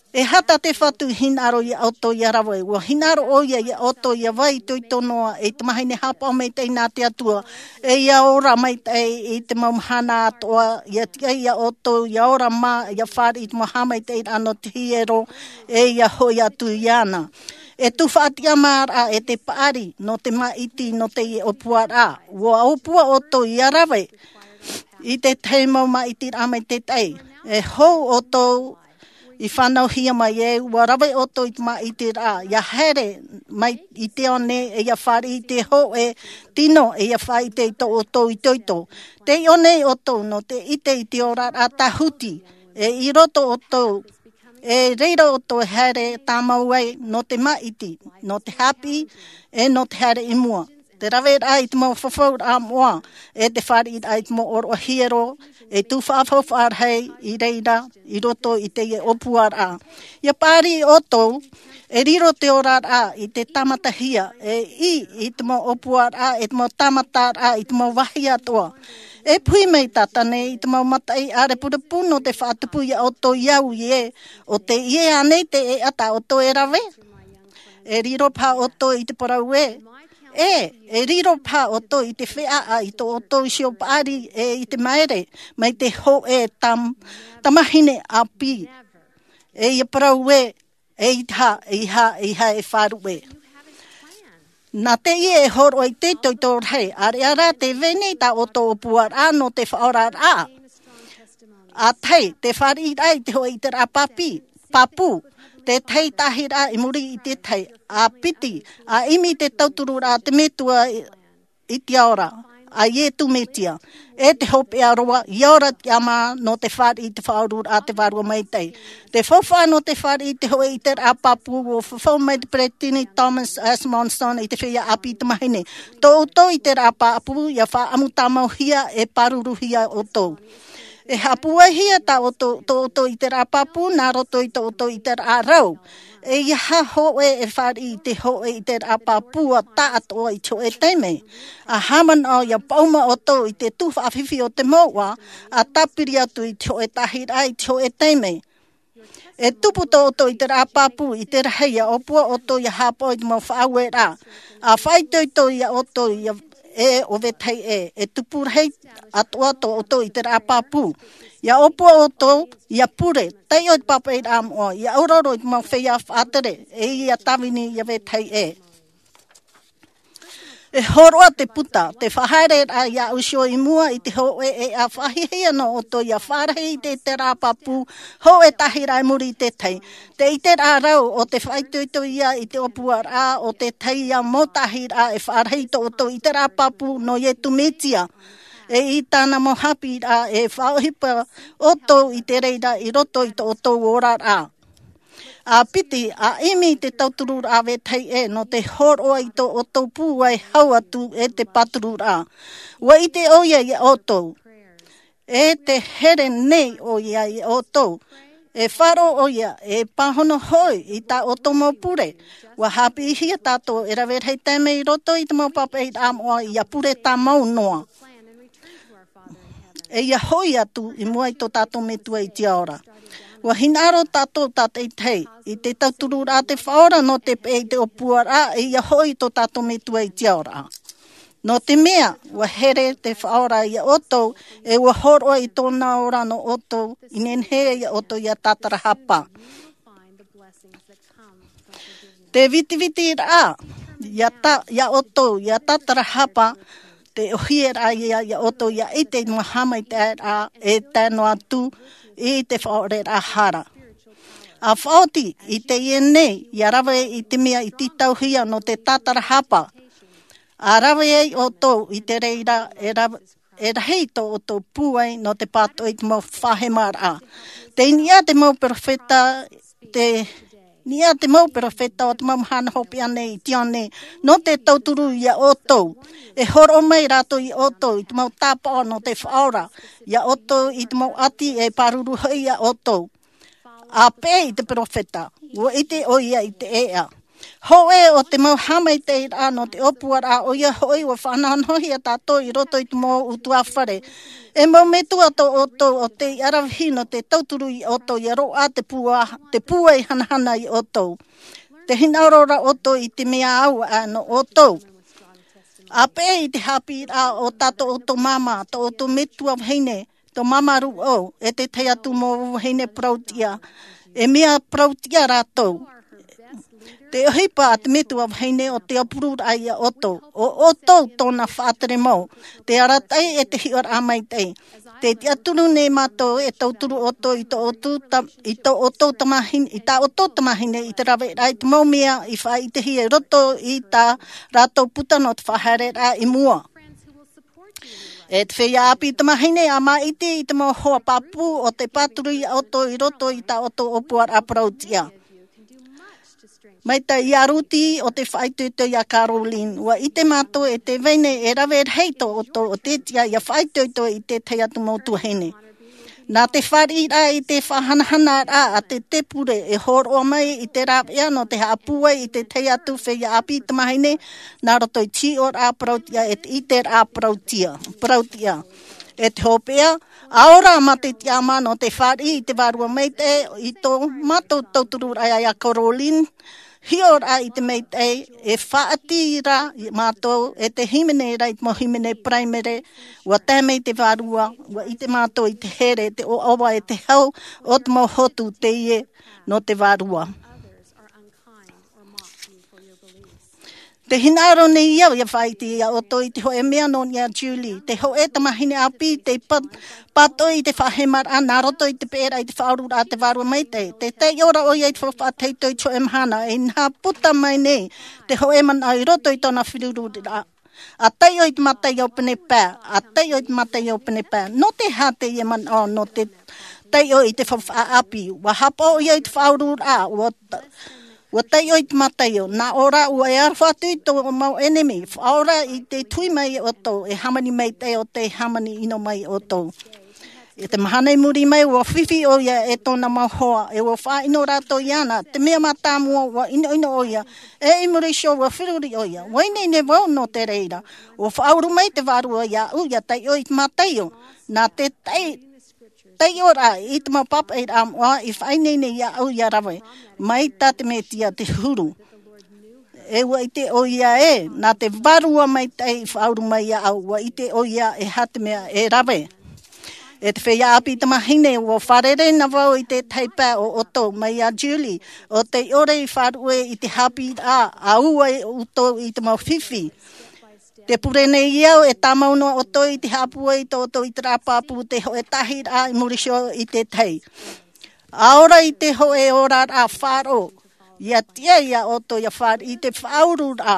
E aha tā te Fatu i hinaʻaro iā ʻoutou ia rave? ʻUa hinaʻaro ʻoia iā ʻoutou ia vaiitoito noa, e tamahine haʻapaʻo maitaʻi nā te Atua, e ia ora maitaʻi i te mau mahana atoʻa, ia tiʻa iā ʻoutou, ia ora mā, ia fāriʻi i te mau haʻamaitaʻiraʻa nō te hiero, e ia hoʻi atu iāna. E tufaʻatiʻamāraʻa e te paʻari, nō te māʻiti, nō teie ʻōpuaraʻa. ʻUa ʻōpua ʻoutou ia rave i te tahi mau māʻitiraʻa maitaʻi. E hou ʻoutou i fānauhia mai, e ʻua rave ʻoutou i te māʻitiraʻa, ia haere mai i te ao nei, e ia fāriʻi i te hōʻē tino, e ia faʻaʻite i tō ʻoutou itoito. Tē ʻite nei ʻoutou nō te ʻite i te oraraʻa tāhuti, e i roto ʻoutou, e reira ʻoutou e haere tāmau ai nō te māʻiti, nō te haʻapiʻi, e nō te haere i mua. Te raveraʻa i te mau fafauraʻa moʻa, e te fāriʻiraʻa i te mau ʻōroʻa hiero, e tufaʻa faufaʻa rahi i reira i roto i teie ʻōpuaraʻa. Ia paʻari ʻoutou, e riro te oraraʻa i te tāmatahia, e ʻī i te mau ʻōpuaraʻa, e te mau tāmataraʻa, i te mau vāhi atoʻa. E puhi mai tātou nei i te mau mataʻi ʻārepurepu nō te faʻatupu iā ʻoutou i au i ē, ʻo teie ānei te ʻēʻa tā ʻoutou e rave? E riro paha ʻoutou i te parau ē? ʻĒ, e riro paha ʻoutou i te feʻaʻa i tō ʻoutou iho paʻari e i te maere, mai te hōʻē tam-, tamahine ʻāpī. E ia parau ē, e i te aha, e aha, e aha e faʻaruʻe. Nā teie e hōroʻa i te itoito rahi, ʻāreʻa rā tē vai nei tā ʻoutou ʻōpuaraʻa nō te faʻaoraraʻa. ʻA tahi, te fāriʻiraʻa i te hōʻē ʻiteraʻa pāpī, pāpū, te tahi tāhiraʻa i muri i te tahi, ʻa piti, ʻa ʻimi te tautururaʻa a te Metua i, i te ao ra, a Iesu Mesia, e te hopeʻa roa, ia ora tiʻamā nō te fāriʻi i te Faʻaoraraʻa a te Vārua Maitaʻi. Te faufaʻa nō te fāriʻi i te hōʻē ʻiteraʻa pāpū, ʻua fafau mai te Peresideni Thomas S. Monson i te feiā ʻāpī tamāhine. Tō ʻoutou ʻiteraʻa pāpū, ia faʻaʻamu tāmauhia, e pāruruhia ʻoutou. E haʻapūaihia tā ʻoutou, tō ʻoutou ʻiteraʻa pāpū, nā roto i tō ʻoutou ʻiteraʻa rau. E ia hōʻē e fāriʻi i te hōʻē ʻiteraʻa pāpū ʻa taʻatoʻa i te hōʻē taime. ʻA haʻamanaʻo ia paʻuma ʻoutou i te tuhaʻa fifi o te mouʻa, ʻa tāpiri atu i te hōʻē tāhiraʻa i te hōʻē taime. E tupu tō ʻoutou ʻiteraʻa pāpū i te rahi, ia ʻōpua ʻoutou ia haʻapaʻo i te mau faʻaueraʻa. ʻA faʻaitoito iā ʻoutou ia ē ʻo vetahi ʻē, e tupu rahi atoʻa tō ʻoutou ʻiteraʻa pāpū. Ia ʻōpua ʻoutou ia pure, taiʻo i te pāpaʻiraʻa moʻa, ia ʻaurauro i te mau feiā faʻatere, e ia tāvini ia vetahi ʻē. E hōroʻa te puta, te faʻahaereraʻa iāʻu iho i mua i te hōʻē ʻēʻa, faʻahiahia noa ʻoutou ia fārahi i te ʻiteraʻa pāpū, hōʻē tāhiraʻa i muri i te tahi. Te ʻiteraʻa rau, ʻo te faʻaitoito ia i te ʻōpuaraʻa o te tahi ia mau tāhiraʻa e fārahi i tō ʻoutou ʻiteraʻa pāpū nō Iesu Mesia. E i tāna mau haʻapiʻiraʻa e faʻaʻohipa ʻoutou i te reira i roto i tō ʻoutou oraraʻa. A piti, a ʻimi i te tauturuʻraʻa vetahi ʻē nō te hōroʻa i tō ʻoutou pūai hau atu e te pāturuʻraʻa. Ua ʻite ʻoia iā ʻoutou. E te here nei ʻoia iā ʻoutou. E faʻaroʻo ʻoia, e pāhono hoʻi i tā ʻoutou mau pure. Ua haʻapiʻihia tātou e rave rahi taime i roto i te mau pāpaʻiraʻa moʻa ʻia pure tāmau noa. E ʻia hoʻi atu i mua i tō tātou Metua i te ao ra. Ua hinaʻaro tātou tātaʻitahi i te tauturuʻraʻa te Faʻaora nō te peʻe i te ʻōpuaraʻa, e ʻia hoʻi i tō tātou Metua i te ao ra. Nō te mea, ua here te Faʻaora iā ʻoutou, e ua hōroʻa i tōna ora nō ʻoutou, i nehenehe iā ʻoutou ʻia tātarahapa. Te vitiviti raʻa, iā tā, iā ʻoutou, ʻia tātarahapa, te ʻohie raʻa iā, iā ʻoutou, ʻia ʻite i te mau haʻamaitaʻiraʻa, e tae noa atu, i te faʻaʻoreraʻa hara. A faʻaoti, i teie nei, ʻia rave i te mea i tītauhia nō te tātarahapa. A rave ai ʻoutou i te reira, e rave, e rahi tō ʻoutou pūai nō te pātoʻi i te mau faʻahemaraʻa. Tei niʻa te mau peropheta, tei niʻa te mau peropheta o te mau mahana hopeʻa nei i teie nei, nō te tauturu iā ʻoutou. E hōroʻa mai rātou iā ʻoutou i te mau tāpaʻo nō te Faʻaora, iā ʻoutou i te mau ʻati e pāruru hoʻi iā ʻoutou. A peʻe i te peropheta, ua ʻite ʻoia i te ʻēʻa. Hōʻē o te mau haʻamaitaʻiraʻa nō te ʻōpuaraʻa ʻoia hoʻi ua faʻanahonahohia tātou i roto i te mau ʻutuāfare. E mau metua tō ʻoutou ʻo tei ʻaravihi nō te tauturu iā ʻoutou ʻia roaʻa te pūa, te pūai hanahana iā ʻoutou. Te hinaʻaro ra ʻoutou i te mea au aʻe nō ʻoutou. A peʻe i te haʻapiʻiraʻa o tā tō ʻoutou māmā, tō ʻoutou metua vahine, tō māmā rūʻau, e te tahi atu mau vahine parau-tiʻa. E mea parau-tiʻa rātou. Te ʻohipa a te metua vahine ʻo te aupururaʻa iā ʻoutou. ʻO ʻoutou tōna faʻatere mau. Te arataʻi e te hiʻoraʻa maitaʻi. Tē tiʻaturi nei mātou e tauturu ʻoutou i tō ʻoutou ta-, i tō ʻoutou tamāhine, i tā ʻoutou tamāhine i te raveraʻa i te mau mea i faʻaʻitehia i roto i tā rātou puta nō te faʻahaereraʻa i mua. E te feiā ʻāpī tamāhine, ʻa māʻiti i te mau hoa pāpū ʻo tē pāturu iā ʻoutou i roto i tā ʻoutou ʻōpuaraʻa parau-tiʻa. Mai tā ia Ruti ʻo tē faʻaitoito iā Caroline, ua ʻite mātou e tē vai nei e rave rahi tō ʻoutou ʻo tē tiʻa ʻia faʻaitoito i te tahi atu mau tuahine. Nā te fāriʻiraʻa i te faʻahanahanaraʻa a te, te pure e hōroʻa mai i te rāveʻa nō te haʻapūai i te tahi atu feiā ʻāpī tamāhine, nā roto i te hiʻoraʻa parau-tiʻa e te ʻiteraʻa parau-tiʻa, parau-tiʻa. E te hopeʻa, ʻaore rā mā te tiʻamā nō te fāriʻi i te Vārua Maitaʻi i tō mātou tautururaʻa iā Caroline, hiʻoraʻa i te maitaʻi, e faʻaʻati ra mātou, e te hīmene ra i te mau hīmene paraimere, ua tae mai te Vārua, ua ʻite mātou i te here, te ʻoaʻoa e te hau, o te mau hotu teie nō te Vārua. Te hinaʻaro nei au ʻia faʻaʻite iā ʻoutou i te hōʻē mea nō niʻa iā Julie, te hōʻē tamāhine ʻāpī, tei pa-, pātoʻi i te faʻahemaraʻa nā roto i te peʻeraʻa i te Faʻaoraraʻa a te Vārua Maitaʻi. Tē taiʻo ra ʻoia i te faufaʻa tahito i te hōʻē mahana, e inaha puta mai nei te hōʻē manaʻo i roto i tōna feruriraʻa. ʻA taiʻo i te Mataio pene pae, ʻa taiʻo i te Mataio pene pae. Nō te aha teie manaʻo nō te taiʻo i te faufaʻa ʻāpī? ʻUa haʻapaʻo ʻoia i te Faʻaoraraʻa, ʻua ta-, ʻua taiʻo i te Mataio. Nā ʻō ra, ʻua e aroha atu i tō mau ʻenemi, faʻaora i te tui mai iā ʻoutou, e hāmani maitaʻi ʻo tē hāmani ʻino mai iā ʻoutou. I te mahana i muri mai, ʻua fifi ʻoia e tōna mau hoa, e ʻua faʻaʻino rātou iāna. Te mea mātāmua, ʻua ʻinoʻino ʻoia, e i muri iho ʻua feruri ʻoia. ʻUa ineine vau nō te reira. ʻUa faʻauru mai te Vārua iāʻu, ʻia taiʻo i te Mataio. Nā te tai-, taiʻoraʻa i te mau pāpaʻiraʻa moʻa i faʻaineine iāʻu ʻia rave. Mai tā te Mesia te huru. E ʻua ʻite ʻoia ē, nā te Vārua Maitaʻi i faʻauru mai iāʻu, ʻua ʻite ʻoia e aha te mea e rave. E te feiā ʻāpī tamāhine, ʻua fārerei na vau i te tahi pae o ʻoutou, mai iā Julie, ʻo tē ʻore i faʻaruʻe i te haʻapiʻiraʻa, ʻa ua ʻoutou i te mau fifi. Tē pure nei au e tāmau noa ʻoutou i te haʻapūai i tō ʻoutou ʻiteraʻa pāpū, te hōʻē tāhiraʻa i muri iho i te tahi. ʻA ora i te hōʻē oraraʻa faʻaroʻo, ʻia tiʻa iā ʻoutou ʻia fāriʻi i te faʻaururaʻa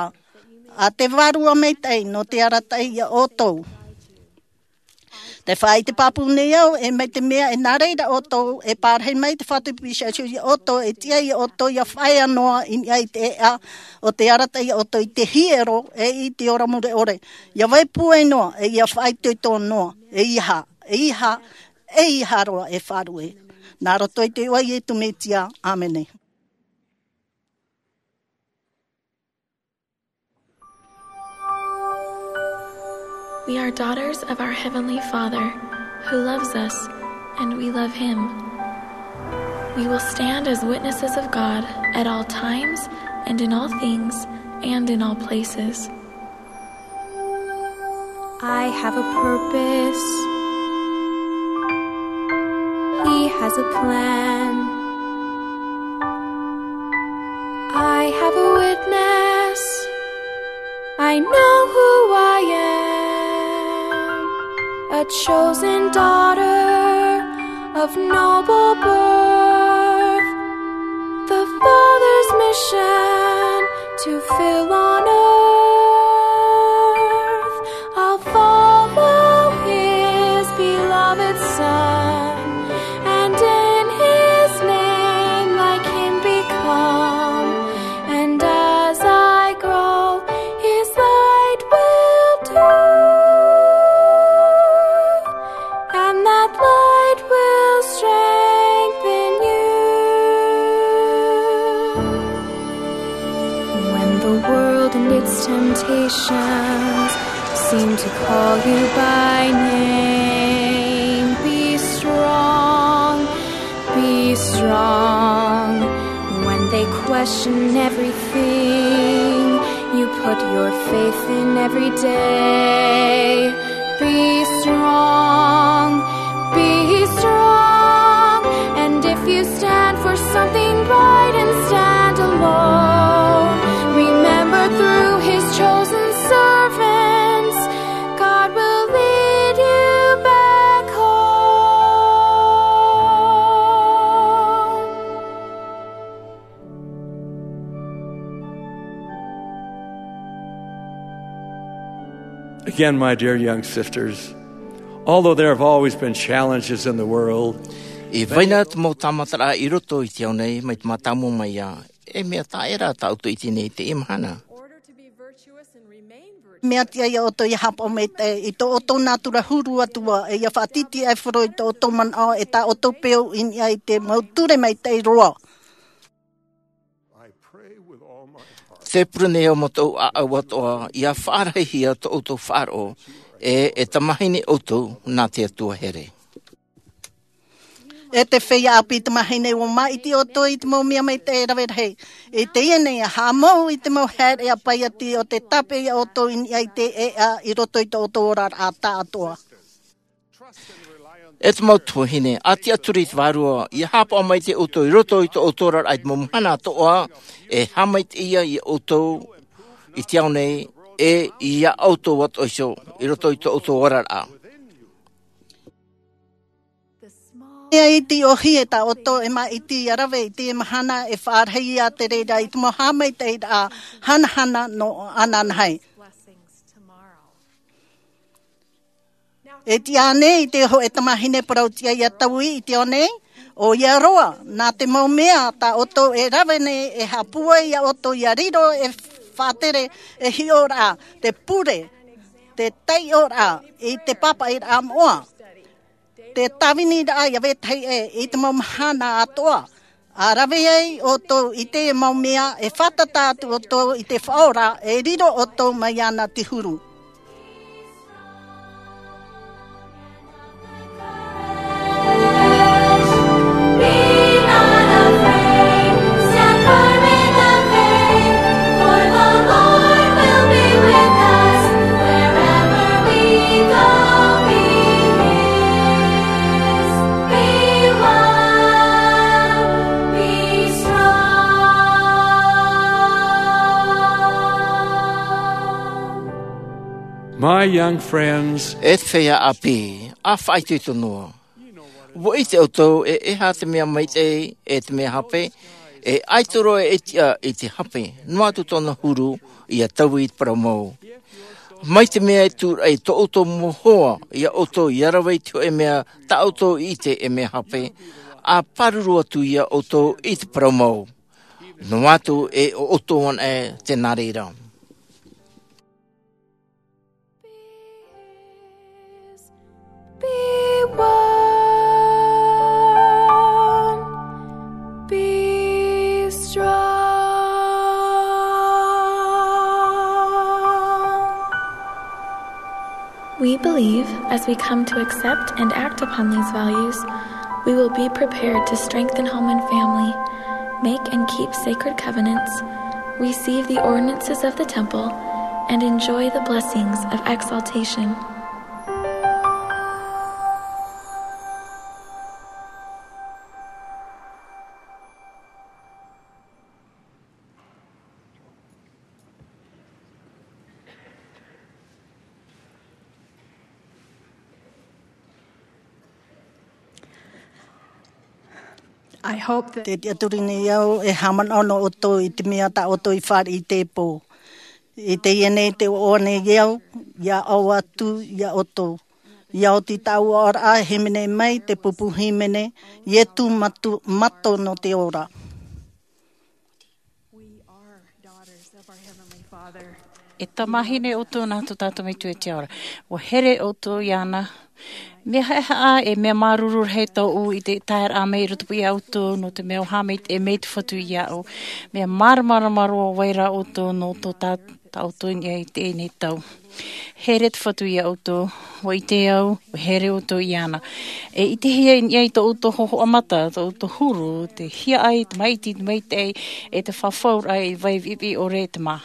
a te Vārua Maitaʻi nō te arataʻi iā ʻoutou. Te faʻaʻite pāpū nei au, e mai te mea e nā reira ʻoutou e pārahi mai te Fatu Pīsā Iesu iā ʻoutou, e tiʻa iā ʻoutou ʻia faʻaea noa i niʻa i te ʻēʻa, ʻo tē arataʻi iā ʻoutou i te hiero, e i te ora mure ʻore. ʻIa vai pūai noa, e ʻia faʻaitoito noa, ʻeiaha, ʻeiaha, ʻeiaha roa e faʻaruʻe. Nā roto i te iʻoa o Iesu Mesia, ʻāmene. We are daughters of our Heavenly Father, who loves us, and we love Him. We will stand as witnesses of God at all times and in all things and in all places. I have a purpose. He has a plan. I have a witness. I know who I am. A chosen daughter of noble birth. The Father's mission to fill on earth. I'll follow His beloved Son, and in His name like Him become. And as I grow, His light will do, and that light will strengthen you. When the world and its temptations seem to call you by name, be strong, be strong. When they question everything you put your faith in every day, be strong, be strong. And if you stand for something right and stand alone, remember through His chosen servants, God will lead you back home. Again, my dear young sisters, although there have always been challenges in the world, e vai na te mau tāmataraʻa i roto i te ao nei, mai te mātāmua mai ā, e mea taʻa ʻē rā tā ʻoutou e ʻite nei i teie mahana. Mea tiʻa iā ʻoutou ʻia haʻapaʻo maitaʻi i tō ʻoutou nātura huru atu ā, e ʻia faʻatītīʻaifaro i tō ʻoutou manaʻo, e tā ʻoutou peu i niʻa i te mau ture maitaʻi roa. Te pure nei au mau ʻāʻau atoʻa, ʻia faʻarahihia tō ʻoutou faʻaroʻo, e, e tamāhine ʻoutou nā te Atua here. E te feiā ʻāpī tamāhine, ʻua māʻiti ʻoutou i te mau mea maitaʻi e rave rahi. I teie nei, ʻa haʻamou i te mau haere ʻāpī ʻati ʻo tē tāpeʻa iā ʻoutou i niʻa i te ʻēʻa i roto i tō ʻoutou oraraʻa tāʻātoʻa. E te mau tuahine, ʻa tiʻaturi i te Vārua, ʻia haʻapaʻo maitaʻi ʻoutou i roto i tō ʻoutou oraraʻa i te mau mahana atoʻa, e haʻamaitaʻi ia iā ʻoutou i te ao nei, e iā ʻoutou atoʻa iho, i roto i tō ʻoutou oraraʻa. E ʻaita i ʻōhie tā ʻoutou e māʻiti ʻia rave i teie mahana, e faʻarahi ia te reira i te mau haʻamaitaʻiraʻa hanahana nō ananahi. E tiʻa ānei i te hōʻē tamāhine parau tiʻa ʻia taui i te ao nei? ʻOia roa, nā te mau mea tā ʻoutou e rave nei e haʻapūai iā ʻoutou ʻia riro e faʻatere e hiʻoraʻa, te pure, te taiʻoraʻa i te pāpaʻiraʻa moʻa, te tāviniraʻa ʻia vetahi ʻē i te mau mahana atoʻa. ʻA rave ai ʻoutou i te mau mea e fātata atu ʻoutou i te Faʻaora, e riro ʻoutou mai iāna te huru. My young friends, e te feiā ʻāpī, ʻa faʻaitoito noa. ʻUa ʻite ʻoutou e, e aha te mea maitaʻi, e te mea hape, e ʻaita roa e tiʻa i te hape, noa atu tōna huru ʻia taui i te parau mau. Mai te mea e tūraʻi tō ʻoutou mau hoa iā ʻoutou ia rave i te hoʻe mea tā ʻoutou i ʻite e mea hape, a pāruru atu iā ʻoutou i te parau mau. Noa atu e ʻo ʻoutou anaʻe te nā reira. Be one, be strong. We believe, as we come to accept and act upon these values, we will be prepared to strengthen home and family, make and keep sacred covenants, receive the ordinances of the temple, and enjoy the blessings of exaltation. I hope that te tiʻaturi nei au e haʻamanaʻo nō ʻoutou i te mea tā ʻoutou i fāriʻi i teie pō. I teie nei te ʻoaʻoa nei au, ia ʻoaʻoa atu iā ʻoutou. Ia oti tāʻu oraraʻa e hīmene mai te pupu hīmene, Ietu Matu-, Mato nō te ora. E tamahine ʻoutou nā tō tātou Metua i te ao ra. ʻUa here ʻoutou iāna. Mea haʻehaʻa e mea māuruuru rahi tōʻu i te taeraʻa mai i roto iā ʻoutou, nō te mea ʻua haʻamaitaʻi mai te Fatu iāʻu. Mea māramarama roa ʻo vai ra ʻoutou nō tō tā-, tā ʻoutou i niʻa i teie nei tau. Here te Fatu iā ʻoutou, ʻua ʻite au, ʻua here ʻoutou iāna. E ʻitehia i niʻa i tō ʻoutou hōhoʻa mata, tō ʻoutou huru, te hiaʻai, te maʻiti, te maitaʻi, e te fafauraʻa i vai viʻiviʻi ʻore te mā.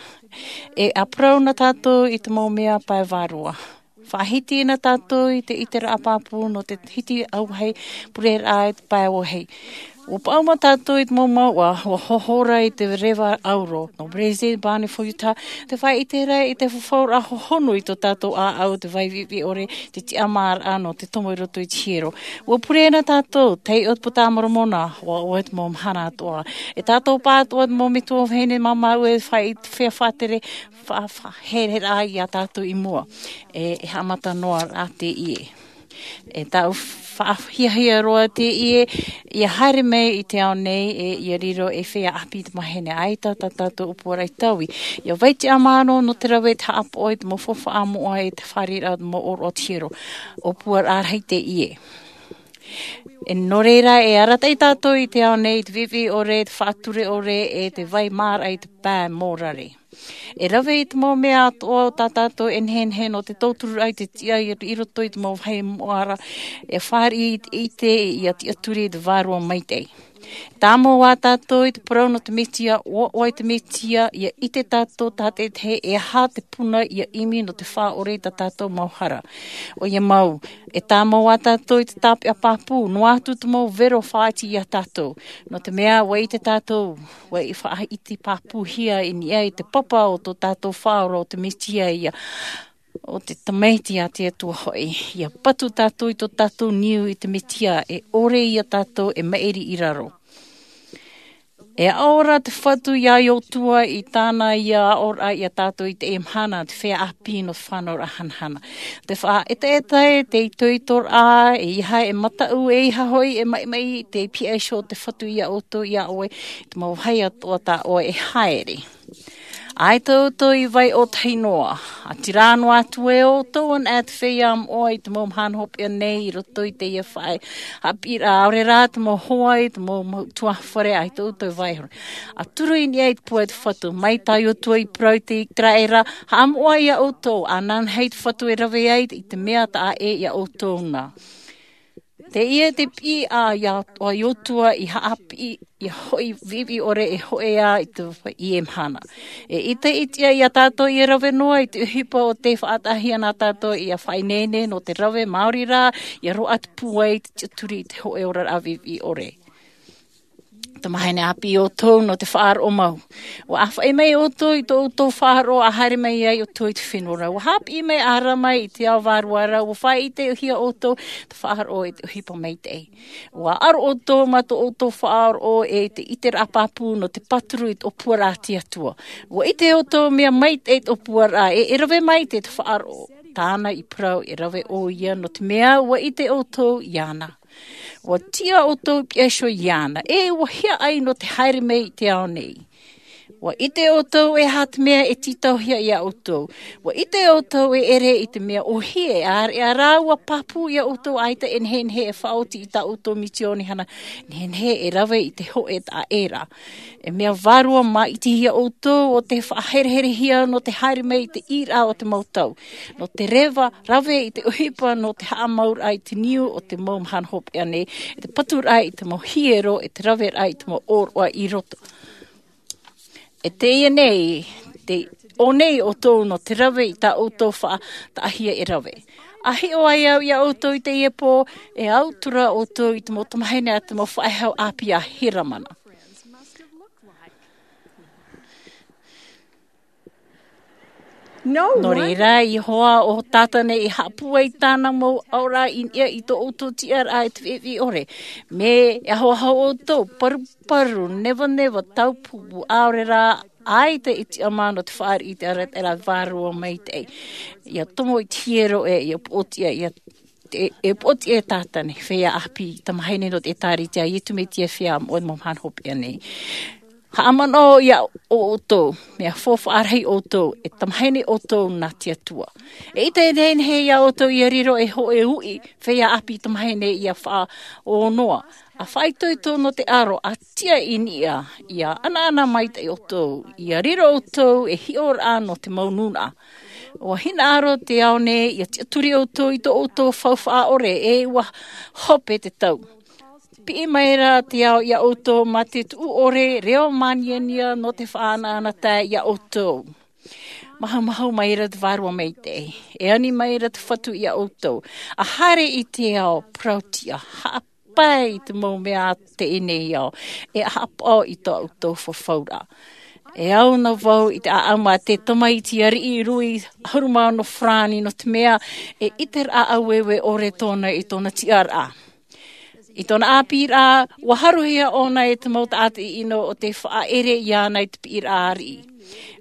E ʻāparau na tātou i te mau mea pae vārua. Faʻahiti na tātou i te ʻiteraʻa pāpū nō te hiti auahi, pureraʻa i te pae auahi. ʻUa paʻuma tātou i te mau mouʻa, ʻua hohora i te reva auro. Nō Brazil, Barney Ford, Utah, te faʻaʻite ra i te fafauraʻa hohonu i tō tātou ʻāʻau, te vai viʻiviʻi ʻore, te tiʻamāraʻa nō te tomo i roto i te hiero. ʻUa pure na tātou, taiʻo te Puta a Moromona, ʻua ʻoaʻoa te mau mahana atoʻa. E tātou pāʻatoʻa te mau metua vahine māmā ʻua faʻaʻite, fea faʻatere, fa-, fa-, here rā iā tātou i mua. E, e haʻamata noa rā teie. E tāʻu faʻahiahia roa teie, ʻia haere mai i te ao nei, e ʻia riro ei feiā ʻāpī te mahine, ʻaita tā tātou ʻōpuaraʻa i taui. ʻIa vai te tiʻamāraʻa nō te rave, te haʻapaʻo i te mau faufaʻa moʻa, e te fāriʻiraʻa o te mau ʻōroʻa o te hiero. ʻŌpuaraʻa rahi teie. E nō reira, e arataʻi tātou i te ao nei, i te viʻiviʻi ʻore, te faʻature ʻore, e te vai maraʻa i te pae mōrare. E rave i te mau mea atoʻa o tā tātou e nehenehe nō te tautururaʻa i te tiʻa i, i roto i te mau vāhi moʻa ra, e fāriʻi i te, i te, ʻia tiʻaturi i te Vārua Maitaʻi. Tāmau ā tātou i te parau nō te Mesia, ʻoaʻoa i te Mesia, ʻia ʻite tātou tātaʻitahi e aha te puna ʻia ʻimi nō te faʻaʻore i tā tātou mau hara. ʻOia mau, e tāmau ā tātou i te tāpeʻa pāpū, noa atu te mau vero faʻaʻite iā tātou. Nō te mea, ʻua ʻite tātou, ʻua faʻaʻite pāpūhia i niʻa i te papa o tō tātou Faʻaora, o te Mesia ia, o te Tamaiti a te Atua hoʻi. ʻIa patu tātou i tō tātou niu i te Mesia, e ʻore iā tātou e maʻiri i raro. E aʻo ra te Fatu iā Iosua i tāna ia aʻoraʻa iā tātou i teie mahana, te feiā ʻāpī nō te fānauraʻa hanahana. Te faʻaʻetaʻeta, te itoitoraʻa, e ʻeiaha e mataʻu, e ʻeiaha hoʻi e maʻimaʻi, tē pihaʻi iho te Fatu iā ʻoutou, iā ʻoe, i te mau vāhi atoʻa tā ʻoe e haere. ʻAita ʻoutou i vai ʻōtahi noa. ʻĀtīrā noa atu e ʻoutou anaʻe te feiā moʻa i te mau mahana hopeʻa nei i roto i teie faʻaʻite haʻapiʻiraʻa, ʻaore rā te mau hoa i te mau, mau tuaʻana fare, ʻaita ʻoutou i vai hora. ʻA turu i niʻa i te pūai o te Fatu, mai tā Iosua i parau i te ʻĪteraʻera, haʻamoʻa iā ʻoutou, ānānahi te Fatu e rave ai i te mea taʻa ʻē iā ʻoutou na. Teie te piʻi a iā, a Iosua i haʻapiʻi, ʻia hoʻi viʻiviʻi ʻore e hōʻē ā i te, i teie mahana. E ʻita iti iā tātou ʻia rave noa i te ʻohipa o tē faʻataʻahia na tātou ʻia faʻaineine nō te rave maori rā, ʻia roaʻa te pūai i te tiʻaturi i te hōʻē oraraʻa viʻiviʻi ʻore. Tamahine ʻāpī ʻoutou nō te faʻaroʻo mau. Ua ʻāfaʻi mai ʻoutou i tō ʻoutou faʻaroʻo a haere mai ai ʻoutou i te fenua ra. Ua hāpiʻi mai ʻārama i te ao vārua ra, ua faʻaʻitehia ʻoutou te faʻaroʻo i te ʻohipa maitaʻi. Ua ʻaro ʻoutou mā tō ʻoutou faʻaroʻo e te ʻiteraʻa pāpū nō te pāturu i te ʻōpuaraʻa a te Atua. Ua ʻite ʻoutou mea maitaʻi te ʻōpuaraʻa e e rave maitaʻi te faʻaroʻo. Tāna i parau e rave ʻoia nō te mea ua ʻite ʻoutou iāna. Ua tiʻa ʻoutou i piha iho iāna, e ua hiaʻai nō te haere mai i te ao nei. Ua ʻite ʻoutou e aha te mea e tītauhia iā ʻoutou. Ua ʻite ʻoutou e ʻere i te mea ʻōhie e ʻāreʻa rāua pāpū iā ʻoutou ʻaita e nehenehe e faʻaoti i tā ʻoutou misiōni hana, nehenehe e rave i te hōʻē taʻa ʻē ra. E mea vārua māʻitihia ʻoutou o te faʻahereherehia nō te haere mai i te ʻīraʻa o te mau tau. Nō te reva, rave i te ʻohipa nō te haʻamauraʻa i te niu o te mau mahana hopeʻa nei, e te paturaʻa i te mau hiero, e te raveraʻa i te mau ʻōroʻa i roto. E teie nei, te ʻō nei ʻoutou nō te rave i tā ʻoutou faʻataʻahia e rave. A hiʻo ai au iā ʻoutou i teie pō, e au atu ra ʻoutou i te mau tamahine a te mau faʻehau ʻāpī a Heramana. Nō reira, Iehova ʻo Tātane i haʻapūai tāna mau aʻoraʻa i niʻa i tō ʻoutou tiʻaraʻa e te fifi ʻore. Mea ahoaho ʻoutou, paruparu, nevaneva, taupupu, ʻaore rā, ʻaita e tiʻamā nō te fāriʻi i te arataʻiraʻa vārua maitaʻi. ʻIa tomo i te hiero ʻe ʻia poʻotiʻa, ʻia te, e poʻotiʻa e Tātane, feiā ʻāpī tamahine nō te ʻĒtārētia a Iesu Mesia, feiā moʻe mau mahana hopeʻa nei. Haʻamanaʻo iā ʻoutou, mea faufaʻa rahi ʻoutou, e tamahine ʻoutou nā te Atua. Eʻita e nehenehe iā ʻoutou ʻia riro ei hōʻē uʻi, feiā ʻāpī tamahine ʻia faʻaō noa. ʻA faʻaitoito nō te ʻaro, ʻa tiʻa i niʻa, ʻia ʻanaʻana maitaʻi ʻoutou, ʻia riro ʻoutou ei hiʻoraʻa nō te mau nūnaʻa. ʻUa hinaʻaro te ao nei, ʻia tiʻaturi ʻoutou i tō ʻoutou faufaʻa ʻore, e ʻua hope te tau. Piʻi mai ra te ao iā ʻoutou mā te tuʻu ʻore, reo māniania nō te faʻaʻanaʻanatae iā ʻoutou. Mahumahu mai ra te Vārua Maitaʻi, e ani mai ra te Fatu iā ʻoutou. ʻA haere i te ao, parauʻtiʻa, haʻapae i te mau mea a teie nei ao, e haʻapaʻo i tō ʻoutou fafauraʻa. E au na vau i te ʻāʻamu a te tamaiti ariʻi Louis ʻahuru mā ono farāni, nō te mea e ʻiteraʻa ʻāueue ʻore tōna i tōna tiʻaraʻa. I tōna ʻāpīraʻa, ʻua haruhia ʻōna e te mau taʻata ʻino ʻo tē faʻaʻere iāna i te piʻiraʻa ariʻi.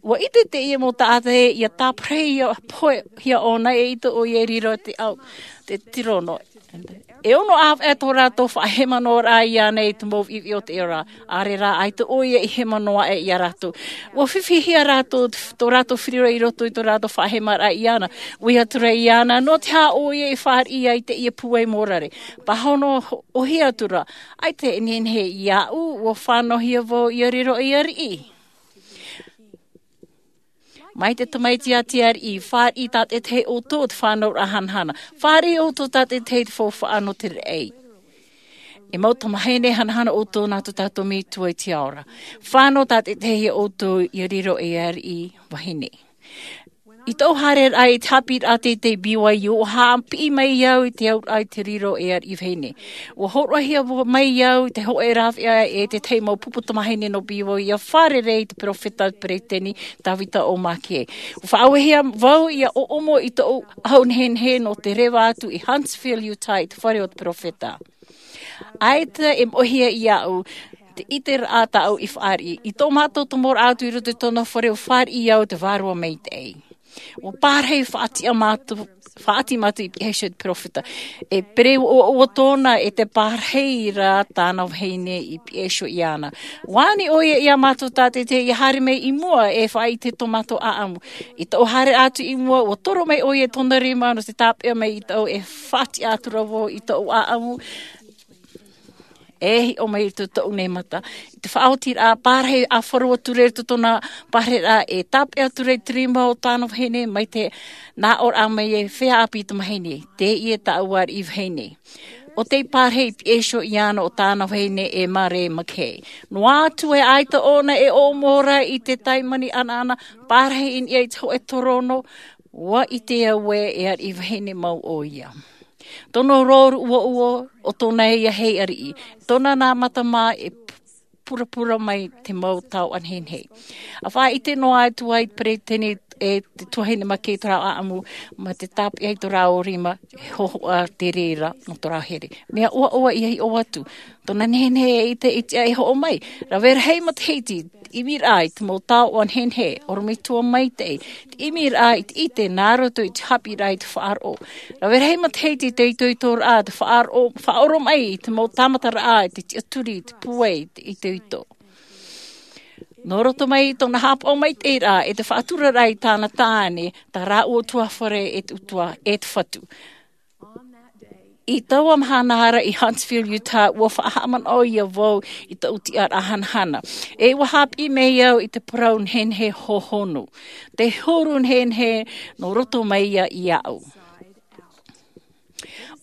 ʻUa ʻite teie mau taʻata ē, ʻia tāparahihia ʻōna eʻita ʻoia i riro te ao, te tirono. E ono ʻāvaʻe tō rātou faʻahemanoaraʻa iāna i te mau viʻiviʻi o te ora. ʻAore rā, ʻaita ʻoia i hema noa aʻe iā rātou. ʻUa fifihia rātou, tō rātou firiiraʻa i roto i tō rātou faʻahemaraʻa iāna. ʻUa ʻite atu ra iāna, nō te aha ʻoia i fāriʻi ai teie pūai mōrare. Pāhono ʻōhie atu ra, ʻaita e nehenehe iāʻu, ʻua fānauhia vau ʻia riro ei ariʻi. Mai te tamaiti a te ariʻi, fāriʻi tātaʻitahi ʻoutou te fānauraʻa hanahana. Fāriʻi ʻoutou tātaʻitahi te faufaʻa nō te raʻi. E mau tamahine, hanahana ʻoutou nā tō tātou Metua i te ao ra. Fānau tātaʻitahi ʻoutou ʻia riro ei ariʻi vahine. I tōʻu haereraʻa i te haʻapiʻiraʻa teitei B Y U, ʻua haʻapiʻi mai au i te auraʻa i te riro ei ariʻi vahine. ʻUa hōroʻahia mai au i te hōʻē rāveʻa e te tahi mau pupu tamahine nō B Y U ʻia fārerei i te peropheta peresideni Tavita O. McKay. ʻUa faʻaauehia vau ʻia ʻoʻomo i tōʻu ʻahu nehenehe nō te reva atu i Huntsville, Utah, i te fare o te peropheta. ʻAita e moʻehia iāʻu te ʻiteraʻa tāʻu i fāriʻi. I tō mātou tomoraʻa atu i roto i tōna fare, ʻua fāriʻi au te Vārua Maitaʻi. ʻUa pārahi faʻatiʻa mātou, faʻaʻati mātou i piha iho i te peropheta. E pere ʻoaʻoa tōna e te pārahi ra tāna vahine i piha iho iāna. ʻUa ani ʻoia iā mātou tātaʻitahi ʻia haere mai i mua e faʻaʻite tō mātou ʻāʻamu. I tōʻu haere atu i mua, ʻua toro mai ʻoia i tōna rima nō te tāpeʻa mai i tōʻu e faʻatiʻa atu ra vau i tōʻu ʻāʻamu. E hiʻo mai i tō, tōʻu nei mata. I te faʻaotiraʻa, pārahi ʻāfaro atu ra i tōna pārahiraʻa, e tāpeʻa atu ra i te rima o tāna vahine, mai te nā ʻō ra mai e feiā ʻāpī tamahine. Teie tāʻu ariʻi vahine. ʻO tei pārahi i piha iho iāna ʻo tāna vahine e Mary McKay. Noa atu ē ʻaita ʻōna e ʻoʻomo ra i te taimani ʻanaʻana, pārahi i niʻa i te hōʻē torono, ʻua ʻite au ē e ariʻi vahine mau ʻoia. Tōna rōruʻu ʻoaʻoa, ʻo tōna ia hei ariʻi. Tōna nā mata mā e p-, purapura mai te mau taoʻa nehenehe. A faʻaʻite noa atu ai te peresideni e te tuahine make i tō rāua ʻaʻamu, ma te tāpeʻa i tō rāua rima, e hohoʻa te reira nō tō rāua here. Mea ʻoaʻoa ʻia hiʻo atu. Tōna nehenehe e ʻite i te ʻai hoʻo mai. Rave rahi matahiti, ʻimiraʻa i te mau taoʻa nehenehe, ʻorometua maitaʻi, te ʻimiraʻa i te ʻite nā roto i te haʻapiʻiraʻa i te faʻaroʻo. Rave rahi matahiti te itoitoraʻa, te faʻaroʻo, faʻaoromaʻi i te mau tāmataraʻa, i te tiʻaturi, i te pūai, i te itoito. Nō roto mai i tōna haʻapaʻo maitaʻiraʻa, e te faʻaturaraʻa i tāna tāne, tā rāua ʻutuāfare e te ʻutuā, e te Fatu. I taua mahana ra i Huntsville, Utah, ʻua faʻahaʻamanaʻo ʻia vau i taʻu tiʻaraʻa hanahana. E ʻua haʻapiʻi mai au i te parau nehenehe hohonu. Te huru nehenehe nō roto mai ia iāʻu.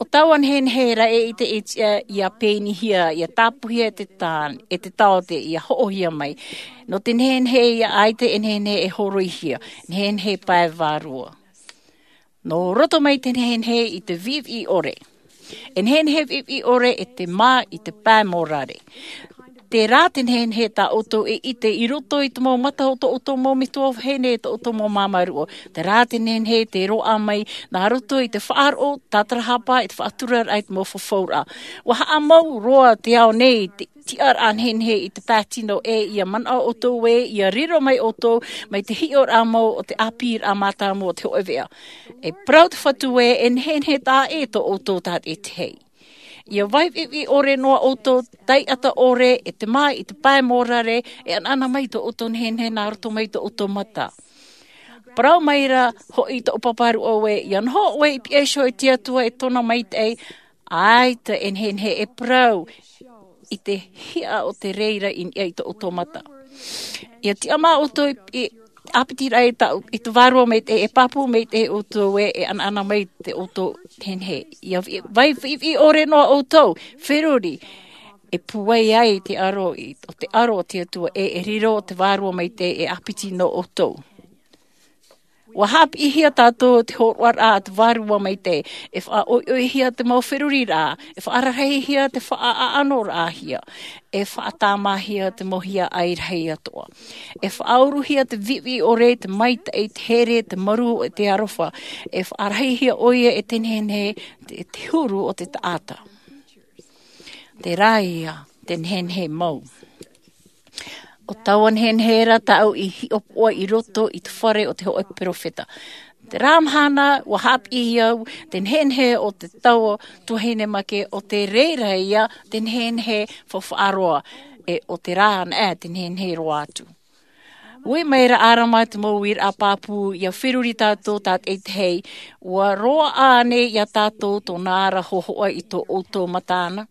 ʻO taua nehenehe ra e ʻite e tiʻa ʻia pēnihia, ʻia tāpūhia e te tā-, e te taote, ʻia hoʻohia mai. Nō te nehenehe ia ʻaita e nehenehe e hōroihia, nehenehe pae vārua. Nō roto mai te nehenehe i te viʻiviʻi ʻore. E nehenehe viʻiviʻi ʻore e te mā i te pae mōrare. Terā te nehenehe tā ʻoutou e ʻite i roto i te mau mata o tō ʻoutou mau metua vahine, tō ʻoutou mau māmā ruʻo. Terā te nehenehe te roaʻa mai nā roto i te faʻaroʻo, tātarahapa, i te faʻaturaraʻa, i te mau fafauraʻa. ʻUa haʻamau roa te ao nei, te tiʻaraʻa nehenehe i te pae tino ē, ʻia manaʻo ʻoutou ē, ʻia riro mai ʻoutou, mai te hiʻoraʻa mau o te ʻāpīraʻa mātāmua o te hōʻē veʻa. E parau te Fatu ē, e nehenehe taʻa ʻē tō ʻoutou tātaʻitahi. ʻIa vai viʻiviʻi ʻore noa ʻoutou, taiʻata ʻore, e te mā i te pae mōrare, e anaana mai tō ʻoutou nehenehe nā roto mai tō ʻoutou mata. Parau mai ra hoʻi tō ʻoe pāpā ruʻo ē, ʻia noho ʻoe i piha iho i te Atua e tōna maitaʻi, ʻaita e nehenehe e parau i te hiʻa o te reira i niʻa i tō ʻoutou mata. ʻIa tiʻamā ʻoutou i, i ʻāpitiraʻa i tā, i te Vārua Maitaʻi, e pāpū maitaʻi ʻoutou ē, e anaana mai tō ʻoutou nehenehe. ʻIa vi-, vai viʻiviʻi ʻore noa ʻoutou, feruri, e pūai ai te aro i, o te aro o te Atua ē, e riro te Vārua Maitaʻi e ʻāpiti nō ʻoutou. ʻUa haʻapiʻihia tātou te hōroʻaraʻa a te Vārua Maitaʻi, e faʻaʻoiʻoihia te mau feruriraʻa, e faʻararahihia te faʻaʻaʻanoraʻahia, e faʻatāmāhia te mau hiaʻai rahi atoʻa. E faʻauruhia te viʻiviʻi ʻore, te maitaʻi, te here, te marū, e te aroha, e faʻarahihia ʻoia e te nehenehe, te, te huru o te taʻata. Terā ia te nehenehe mau. ʻO taua nehenehe ra tāʻu i hiʻopoʻa i roto i te fare o te hōʻē perofeta. Terā mahana, ʻua haʻapiʻi au te nehenehe o te taua tuahine make, ʻo te reira ia te nehenehe faʻaroa, e ʻo terā anaʻe te nehenehe roa atu. Ui mai ra ʻĀrama te mau uiraʻa pāpū, ʻia feruri tātou tātaʻitahi, ʻua roaʻa ānei ia tātou tōna ara hōhoʻa i tō ʻoutou mata na?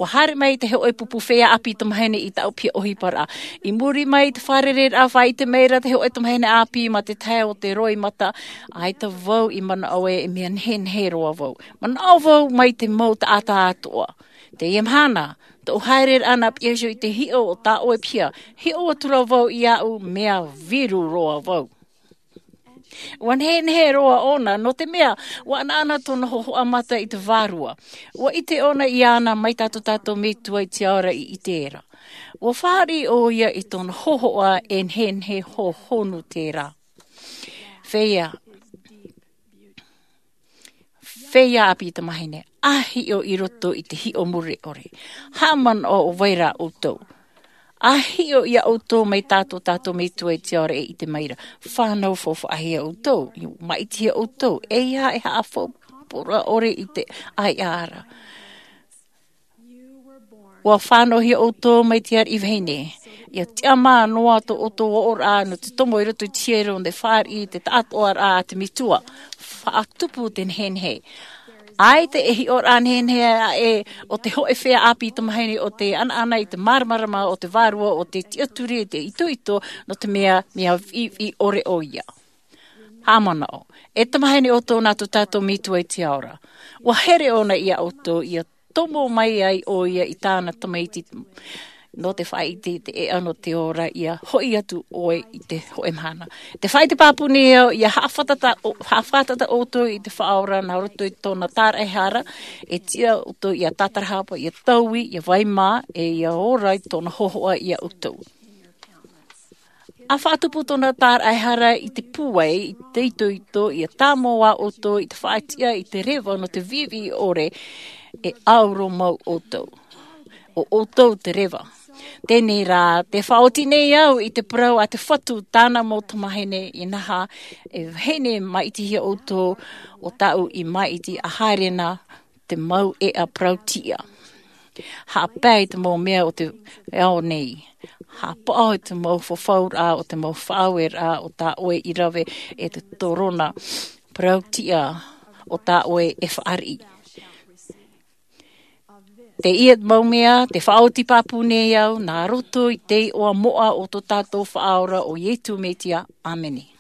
ʻUa haere mai te hōʻē pupu feiā ʻāpī tamahine i tāʻu piha ʻohiparaʻa. I muri mai i te fārereiraʻa, faʻaʻite mai ra te hōʻē tamahine ʻāpī mā te tahe o te roimata, ʻaita vau i manaʻo ē, e mea nehenehe roa vau. Manaʻo vau mai te mau taʻata atoʻa. Teie mahana, tōʻu haereraʻa nā piha iho i te hiʻo o tā ʻoe piha, hiʻo atu ra vau iāʻu, mea viru roa vau. ʻUa nehenehe roa ʻōna, nō te mea, ʻua anaʻana tōna hōhoʻa mata i te Vārua. ʻUa ʻite ʻōna iāna mai tā tō tātou Metua i te ao ra i ʻite ra. ʻUa fāriʻi ʻoia i tōna hōhoʻa, e nehenehe hohonu terā. Feiā, feiā ʻāpī tamahine, ʻa hiʻo i roto i te hiʻo mure ʻore. Haʻamanaʻo ʻo vai ra ʻoutou. ʻA hiʻo ia ʻoutou mai tā tō tātou Metua i te ao ra e ʻite mai ra. Fānau faufaʻahia ʻoutou, maʻitihia ʻoutou, ʻeiaha e haʻafaupura ʻore i te ʻāiʻa ra. ʻUa fānauhia ʻoutou mai te ariʻi vahine. ʻIa tiʻamā noa tō ʻoutou ʻoʻoraʻa nō te tomo i roto i te hiero, nō te fāriʻi i te taʻatoʻaraʻa a te Metua. Faʻatupu te nehenehe. ʻAita e hiʻoraʻa nehenehe aʻe o te hōʻē feiā ʻāpī tamahine ʻo tē anaʻana i te māramarama o te Vārua, ʻo tē tiʻaturi i te itoito, nō te mea, mea viʻiviʻi ʻore ʻoia. Haʻamanaʻo, e tamahine ʻoutou nā tō tātou Metua i te ao ra. ʻUa here ʻōna ia ʻoutou, ʻia tomo mai ai ʻoia i tāna tamaiti, nō te faʻaʻite i te ʻēʻa nō te ora, ia hoʻi atu ʻoe i te hōʻē mahana. Te faʻaʻite pāpū nei au, ia haʻafātata ʻo-, haʻafātata ʻoutou i te Faʻaora nā roto i tōna tāraʻehara, e tiʻa ʻoutou ia tātarahapa, ia taui, ia vai mā, e ia ora i tōna hōhoʻa ia ʻoutou. ʻA faʻatupu tōna tāraʻehara i te pūai, i te itoito, ia tāmau ā ʻoutou i te faʻatiʻa i te reva nō te viʻiviʻi ʻore, e ʻauro mau ʻoutou. ʻO ʻoutou te reva. Teie rā, tē faʻaoti nei au i te parau a te Fatu, tāna mau tamāhine, inaha, e vahine maʻitihia ʻoutou, ʻo tāʻu i maʻiti, ʻa haere na te mau ʻēʻa parau-tiʻa. Haʻapae i te mau mea o te ao nei. Haʻapaʻo i te mau fafauraʻa o te mau faʻaueraʻa o tā ʻoe i rave, e te torona parau-tiʻa o tā ʻoe e fāriʻi. Teie mau mea, tē faʻaoti pāpū nei au, nā roto i te iʻoa moʻa o tō tātou Faʻaora ʻo Iesu Mesia. ʻĀmene.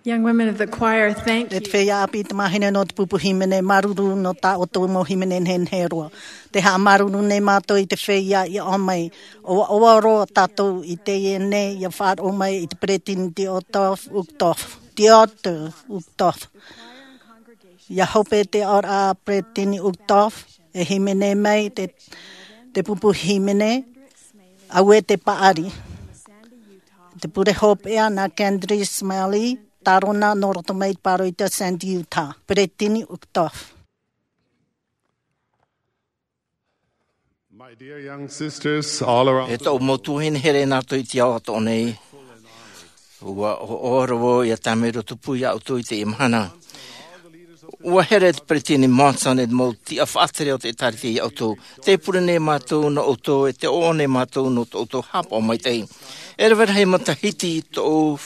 Young women of the choir, thank you. E te feiā ʻāpī tamāhine nō te pupu hīmene, māuruuru nō tā ʻoutou mau hīmene nehenehe roa. Tē haʻamāuruuru nei mātou i te feiā i ʻō mai. ʻOaʻoa roa tātou i teie nei ʻia faʻaroʻo mai i te peresideni Dieter Uchtdorf. Dieter Uchtdorf. ʻIa hope te aʻoraʻa a peresideni Uchtdorf, e hīmene mai te, te pupu hīmene, auē te paʻari. Te pure hopeʻa nā Candice Smalley, tārona nō roto mai i te pāroita Sandy, Utah. Peresideni Uchtdorf. My dear young sisters all around. E tōʻu mau tuahine here nā roto i te ao atoʻa nei. ʻUa ʻoaʻoa roa ʻia tāmau roa tupu iā ʻoutou i teie mahana. ʻUa here te peresideni Monson e te mau tiʻa faʻatere o te ʻĒtārētia iā ʻoutou. Tē pure nei mātou nō ʻoutou, e tē ʻoaʻoa nei mātou nō tō ʻoutou haʻapaʻo maitaʻi. E rave rahi matahiti tōʻu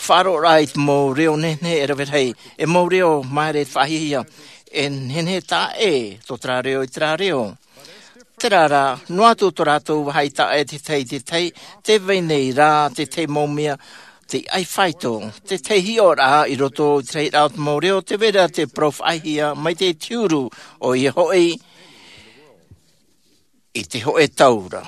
faʻaroʻoraʻa i te mau reo nehenehe, e rave rahi, e mau reo māere faʻahiahia, e nehenehe taʻa ʻē tō terā reo i terā reo. Terā rā, noa atu tō rātou vāhi taʻa ʻē te tahi, te tahi, tē vai nei rā te tahi mau mea, te ʻaifāito, te tahi hiʻoraʻa i roto i te rahiraʻa o te mau reo, tē vai ra te parau faʻahiahia, mai te huru, ʻoia hoʻi, i te hōʻē tau ra.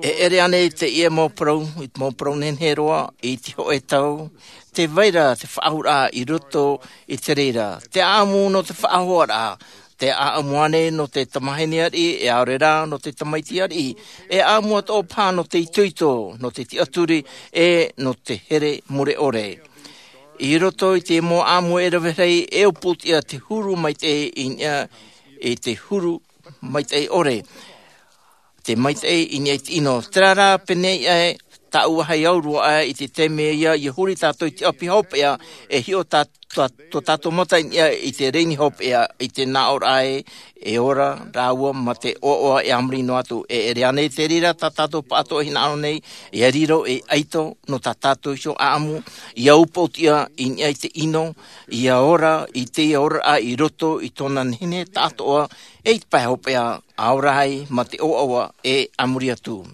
E ʻere ānei teie mau parau, i te mau parau nehenehe roa, i te hōʻē tau, tē vai ra te faʻaauraʻa i roto i te reira, te ʻāʻamu nō te faʻahoaraʻa, te ʻāʻamu ānei nō te tamāhine ariʻi, e ʻaore rā nō te tamaiti ariʻi, e ʻāʻamu atoʻa paha nō te itoito, nō te tiʻaturi, e nō te here mure ʻore. I roto i te mau ʻāʻamu e rave rahi, e ʻōpū atu te huru maitaʻi i niʻa i te huru maitaʻi ʻore. Te maitaʻi i niʻa i te ʻino. Terā rā, pēnei aʻe, tāʻu vāhi au roa aʻe i te taime ia, ʻia huri tātou i te ʻapi hopeʻa, e hiʻo tā, tā, tō tātou mata i niʻa i te rēni hopeʻa, i te nāʻōraʻa ē, e ora rāua mā te ʻoaʻoa e a muri noa atu. E ʻere ānei te reira tā tātou pāʻatoʻa hinaʻaro nei, ʻia riro ei ʻaito nō tā tātou iho ʻāʻamu, ʻia ʻōpū atu ia i niʻa i te ʻino, ʻia ora i teie oraraʻa i roto i tōna nehenehe taʻatoʻa, e i te pae hopeʻa, ʻaore rā mā te ʻoaʻoa e a muri atu.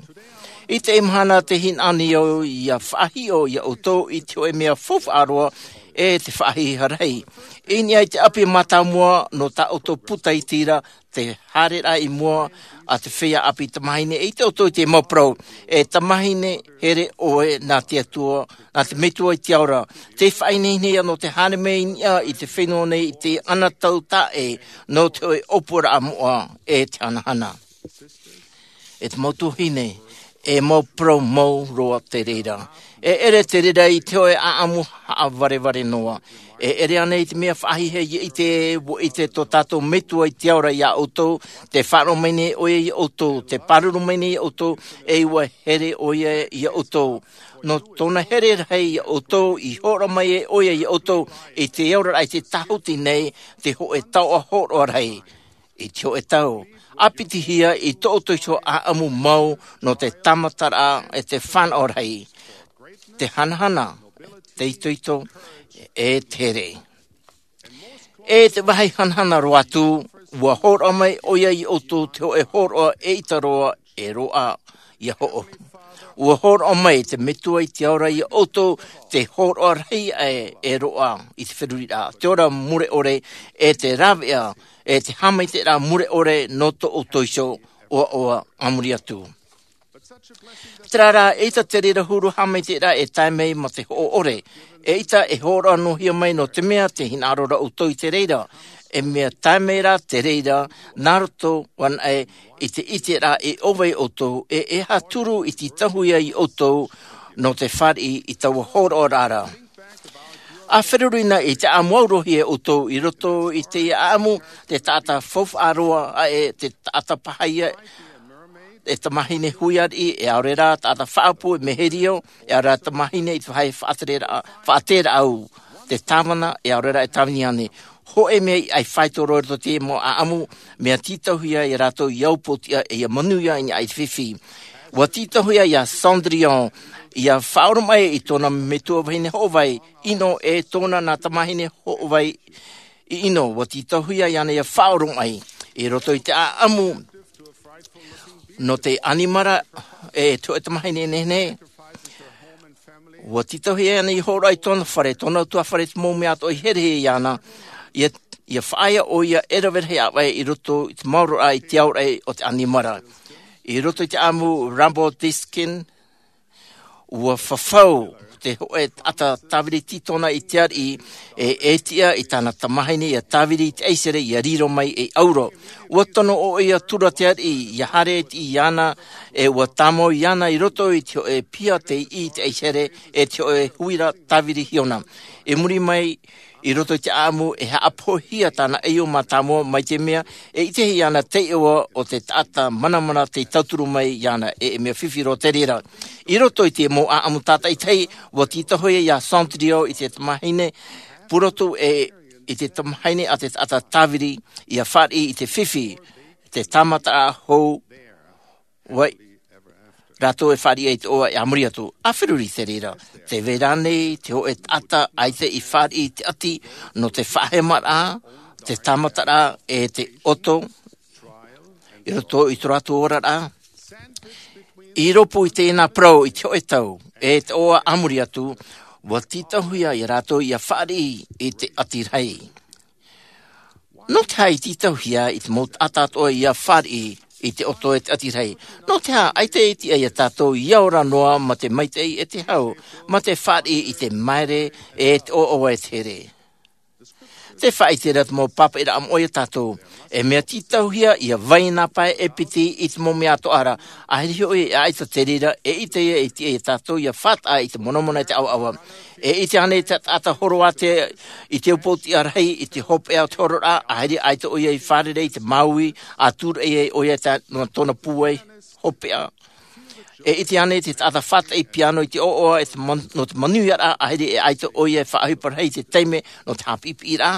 I teie mahana tē hinaʻaro nei au ʻia faʻahiʻo iā ʻoutou i te hōʻē mea faufaʻa roa, e te faʻahiahia rahi. I niʻa i te ʻapi mātāmua nō tā ʻoutou puta i te reira, te haereraʻa i mua a te feiā ʻāpī tamāhine, e ʻite ʻoutou i te mau parau, e tamāhine here ʻoe nā te Atua, nā te Metua i te ao ra. Tē faʻaineine ia nō te haere mai i niʻa i te fenua nei i te anotau taʻa ʻē, nō te hōʻē ʻōpuaraʻa moʻa, e te hanahana. E te mau tuahine, e mau parau mau roa te reira. E ʻere te reira i te hōʻē ʻāʻamu haʻavarevare noa. E ʻere ānei te mea faʻahiahia ʻia ʻite, ʻua ʻite tō tātou Metua i te ao ra iā ʻoutou, tē faʻaroʻo mai nei ʻoia iā ʻoutou, tē pāruru mai nei iā ʻoutou, e ʻua here ʻoia iā ʻoutou. Nō tōna here rahi iā ʻoutou, i hōroʻa mai ʻoia iā ʻoutou, i te oraraʻa i te tāhuti nei, te hōʻē taoʻa hōroʻa rahi. I te hōʻē tau, ʻāpitihia i tō ʻoutou iho ʻāʻamu mau nō te tāmataraʻa e te fānaʻo rahi, te hanahana, te itoito, e te here. E te vāhi hanahana roa atu, ʻua hōroʻa mai ʻoia iā ʻoutou te hōʻē hōroʻa e ʻita roa, e roaʻa ʻia hoʻo. ʻUa hōroʻa mai te Metua i te ao ra iā ʻoutou te hōroʻa rahi aʻe e roaʻa i te feruriraʻa, te ora mure ʻore, e te rāveʻa, e te haʻamaitaʻiraʻa mure ʻore nō tō ʻoutou iho ʻoaʻoa a muri atu. Terā rā, eʻita te reira huru haʻamaitaʻiraʻa e tae mai mā te hoʻo ʻore. Eʻita e hōroʻa noa hia mai nō te mea tē hinaʻaro ra ʻoutou i te reira. E mea tae mai rā te reira, nā roto anaʻe i te ʻiteraʻa e ʻōvai ʻoutou, e e aha turu i tītauhia iā ʻoutou nō te fāriʻi i taua hōroʻaraʻa ra. ʻA feruri na i te ʻāʻamu aurohia e ʻoutou i roto i te ʻāʻamu, te taʻata faufaʻa roa aʻe, te taʻata paha ia, e tamāhine hui ariʻi, e ʻaore rā taʻata faʻaʻapu e meherio, e ʻaore rā tamāhine i te vāhi faʻatereraʻa, faʻateraʻa au, te tāvana, e ʻaore rā e tāvini ānei. Hōʻē mea i ʻaifāito roa i roto i te mau ʻāʻamu, mea tītauhia iā rātou ʻia ʻōpū atu ia, e ʻia manuia i niʻa i te fifi. ʻUa tītauhia iā Cendrillon, ʻia faʻaoromaʻi i tōna metua vahine hoʻovai, ʻino e tōna nā tamāhine hoʻovai i ʻino, ʻua tītauhia iāna ʻia faʻaoromaʻi i roto i te ʻāʻamu nō te ʻanimara, e te hōʻē tamāhine nehenehe, Ua tītauhia ana i hōroʻa i tōna fare, tōna utuāfare, te mau mea atoʻa i herehia iāna, ia, ia faʻaea ʻoia e rave rahi ʻāvae i roto i te maoro raʻa i te aoraʻi o te ʻanimara. I roto i te ʻāʻamu Rumble Diskin, ua fafau te hōʻē taʻata tāviri tītona i te ariʻi, e, e tiʻa i tāna tamāhine ia tāviri i te ʻaisere ia riro mai ei ʻauro. Ua tono ʻoia tura te ariʻi, ia haere i te iʻa iāna, e ua tāmau iāna i roto i te hōʻē piha tei ʻī i te ʻaisere, e te hōʻē huira tāviri hiona. I muri mai, i roto i te ʻāʻamu, e haʻapohia tāna ʻaiʻo mātāmua mai te mea, e ʻitehia ana te iʻoa o te taʻata manamana tei tauturu mai iāna, e, e mea fifi roa te reira. I roto i te mau ʻāʻamu tātaʻitahi, ua tītauhia ia Sandrio i te tamāhine purotu, e i te tamāhine a te taʻata tāviri, ia fāriʻi i te fifi, te tāmataraʻa hou, ʻua ʻite rātou e fāriʻi ai te iʻoa e a muri atu. ʻA feruri te reira, tē vai ra ānei te hōʻē taʻata ʻaita i fāriʻi i te ʻati nō te faʻahemaraʻa, te tāmataraʻa, e te ʻoto i roto i tō rātou oraraʻa? I rōpū i teie nā parau i te hōʻē tau, e te iʻoa a muri atu, ua tītauhia ia rātou ia fāriʻi i te ʻati rahi. Nō te aha i tītauhia i te mau taʻata atoʻa ia fāriʻi i te ʻoto e te ʻati rahi? Nō te aha ʻaita e tiʻa ia tātou ia ora noa mā te maitaʻi e te hau, mā te fāriʻi i te maere e te ʻoaʻoa e te here? Tē faʻaʻite ra te mau pāpaʻiraʻa moʻa ia tātou, e mea tītauhia ia vai nā pae e piti i te mau mea atoʻa ra, ʻaita hoʻi e ʻaita te reira, e ʻite ia e tiʻa ia tātou ia fātaʻa i te monamona e te ʻavaʻava. E ʻite ānei te taʻata horo ātea i te upoʻotiʻa rahi, i te hopeʻa o te hororaʻa, ʻaita ʻoia i fārerei i te māuiui, ʻa tūraʻi ai ʻoia i tā-, nō tōna pūai hopeʻa? E ʻite ānei te taʻata fātaʻi piano i te ʻoaʻoa, e te man-, nō te manuiaraʻa, ʻaita e ʻaita ʻoia e faʻaʻohipa rahi i te taime nō te haʻapiʻipiʻiraʻa?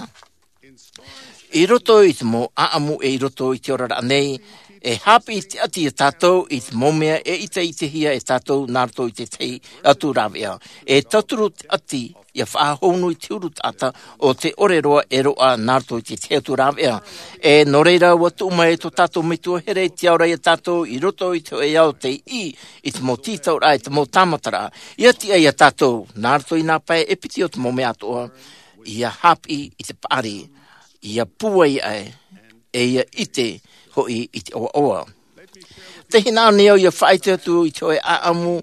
I roto i te mau ʻāʻamu e i roto i te oraraʻa nei, e haʻapiʻi te ʻati ia tātou i te mau mea e ʻiteʻitehia e tātou nā roto i te tahi atu rāveʻa. E tauturu te ʻati ia faʻahou noa i te huru taʻata o te ʻore roa e roaʻa nā roto i te tahi atu rāveʻa. E nō reira, ua tuʻu mai tō tātou Metua here i te ao ra ia tātou i roto i te hōʻē ao tei ʻī i te mau tītauraʻa, i te mau tāmataraʻa. Ia tiʻa ia tātou, nā roto i nā pae e piti o te mau mea atoʻa, ia haʻapiʻi i te paʻari, ia pūai aʻe, e ia ʻite hoʻi i te ʻoaʻoa. Tē hinaʻaro nei au ia faʻaʻite atu i te hōʻē ʻāʻamu,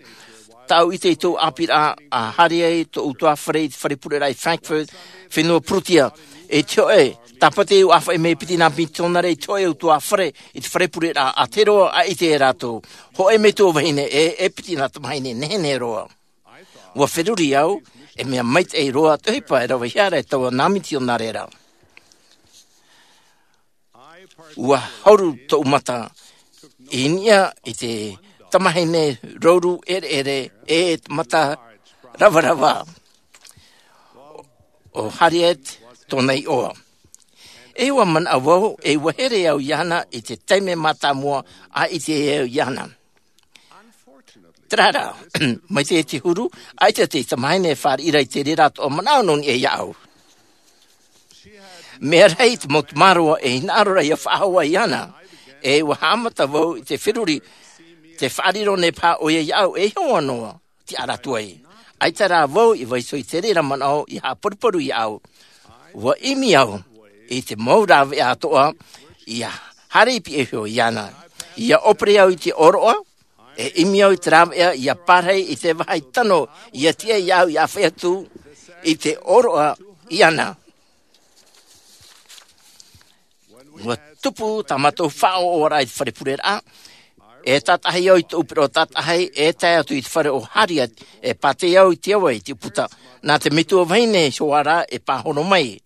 tāʻu ʻite i tōʻu ʻāpīraʻa, ʻa haere ai tōʻu utuāfare i te fare pureraʻa i Frankfurt, fenua Purutia. I te hōʻē, tāpati au ʻa faʻaʻī mai e piti nā mitiōnare i te hōʻē utuāfare i te fare pureraʻa, ʻa tae roa ʻa ʻite ia rātou. Hōʻē metua vahine, e, e piti nā tamāhine nehenehe roa. Ua feruri au, e mea maitaʻi roa te ʻohipa e ravehia ra e taua nā mitiōnare ra. Ua hauru tōʻu mata i niʻa i te tamāhine rouru ʻereʻere, e te mata ravarava o Harriet tōna iʻoa. E ua manaʻo vau, e ua here au iāna i te taime mātāmua ʻa ʻite au iāna. Terā rā, mai te huru, ʻaita te tamāhine e fāriʻi ra i te reira atoʻa manaʻo nō niʻa iāʻu. Mea rahi te mau tamāroa e hinaʻaro ra ia faʻahou iāna, e ua haʻamata vau i te feruri, tē faʻariro nei paha ʻoia iāʻu e iho noa, tiʻa atu ai. ʻAita rā vau i vaiiho i te reira manaʻo ia haʻaparuparu iāʻu. Ua ʻimi au i te mau rāveʻa atoʻa, ia haere i pihaʻi iho iāna. Ia ʻōpere au i te ʻōroʻa, e ʻimi au i te rāveʻa ia pārahi i te vāhi tano, ia tiʻa iāʻu ia ʻāfaʻi atu i te ʻōroʻa iāna. Ua tupu tā mātou faʻaʻoʻoraʻa i te fare pureraʻa, e tātaʻahi au i tōʻu pereʻoʻo tātaʻahi, e tae atu i te fare o Harriet, e pātē au i te ava i te ʻūputa. Nā te metua vahine iho ā rā e pāhono mai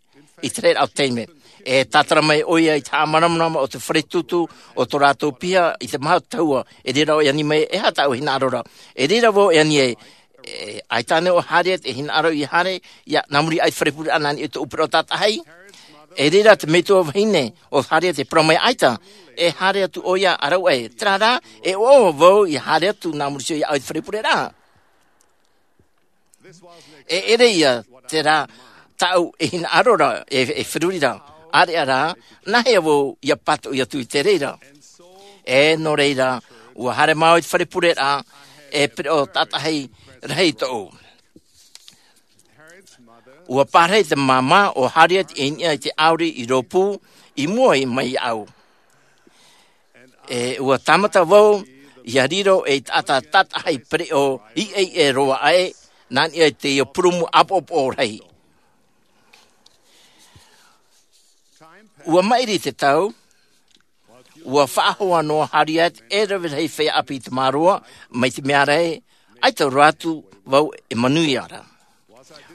i terā taime. E tātara mai ʻoia i te haʻamāramarama o te fare tūtū o tō rātou piha i te maha tahua, e reira vau e ani mai, e aha tāʻu hinaʻaro ra. E reira vau e ani ai, e, ʻaita ānei ʻo Harriet e hinaʻaro ia haere, ia nā muri aʻe i te fare pureraʻa nā niʻa i tōʻu pereʻoʻo tātaʻahi. E reira te metua vahine o Harriet e parau mai ʻaita, e haere atu ʻoia ʻa rāʻau aʻe. Terā rā, e ʻoaʻoa vau ia haere atu nā muri iho iāʻu i te fare pureraʻa. E ʻere ïa terā tāʻu e hinaʻaro ra, e, e feruri ra, ʻāreʻa rā, nāhea vau ia pātoʻi atu i te reira. E nō reira, ʻua haere māua i te fare pureraʻa, e pereʻoʻo tātaʻahi rahi tōʻu. Ua pārahi te māmā o Harriet i niʻa i te ʻauri i rōpū i mua mai iāʻu. E ua tāmata vau ia riro ei taʻata tātaʻahi pereʻoʻo iʻeiʻe roa aʻe nā niʻa i te purūmu ʻapoʻopoʻo rahi. Ua maʻiri te tau. Ua faʻahoa noa Harriet e rave rahi feiā ʻāpī tamāroa mai te mea ra ē, ʻaita roa atu vau e manuia ra.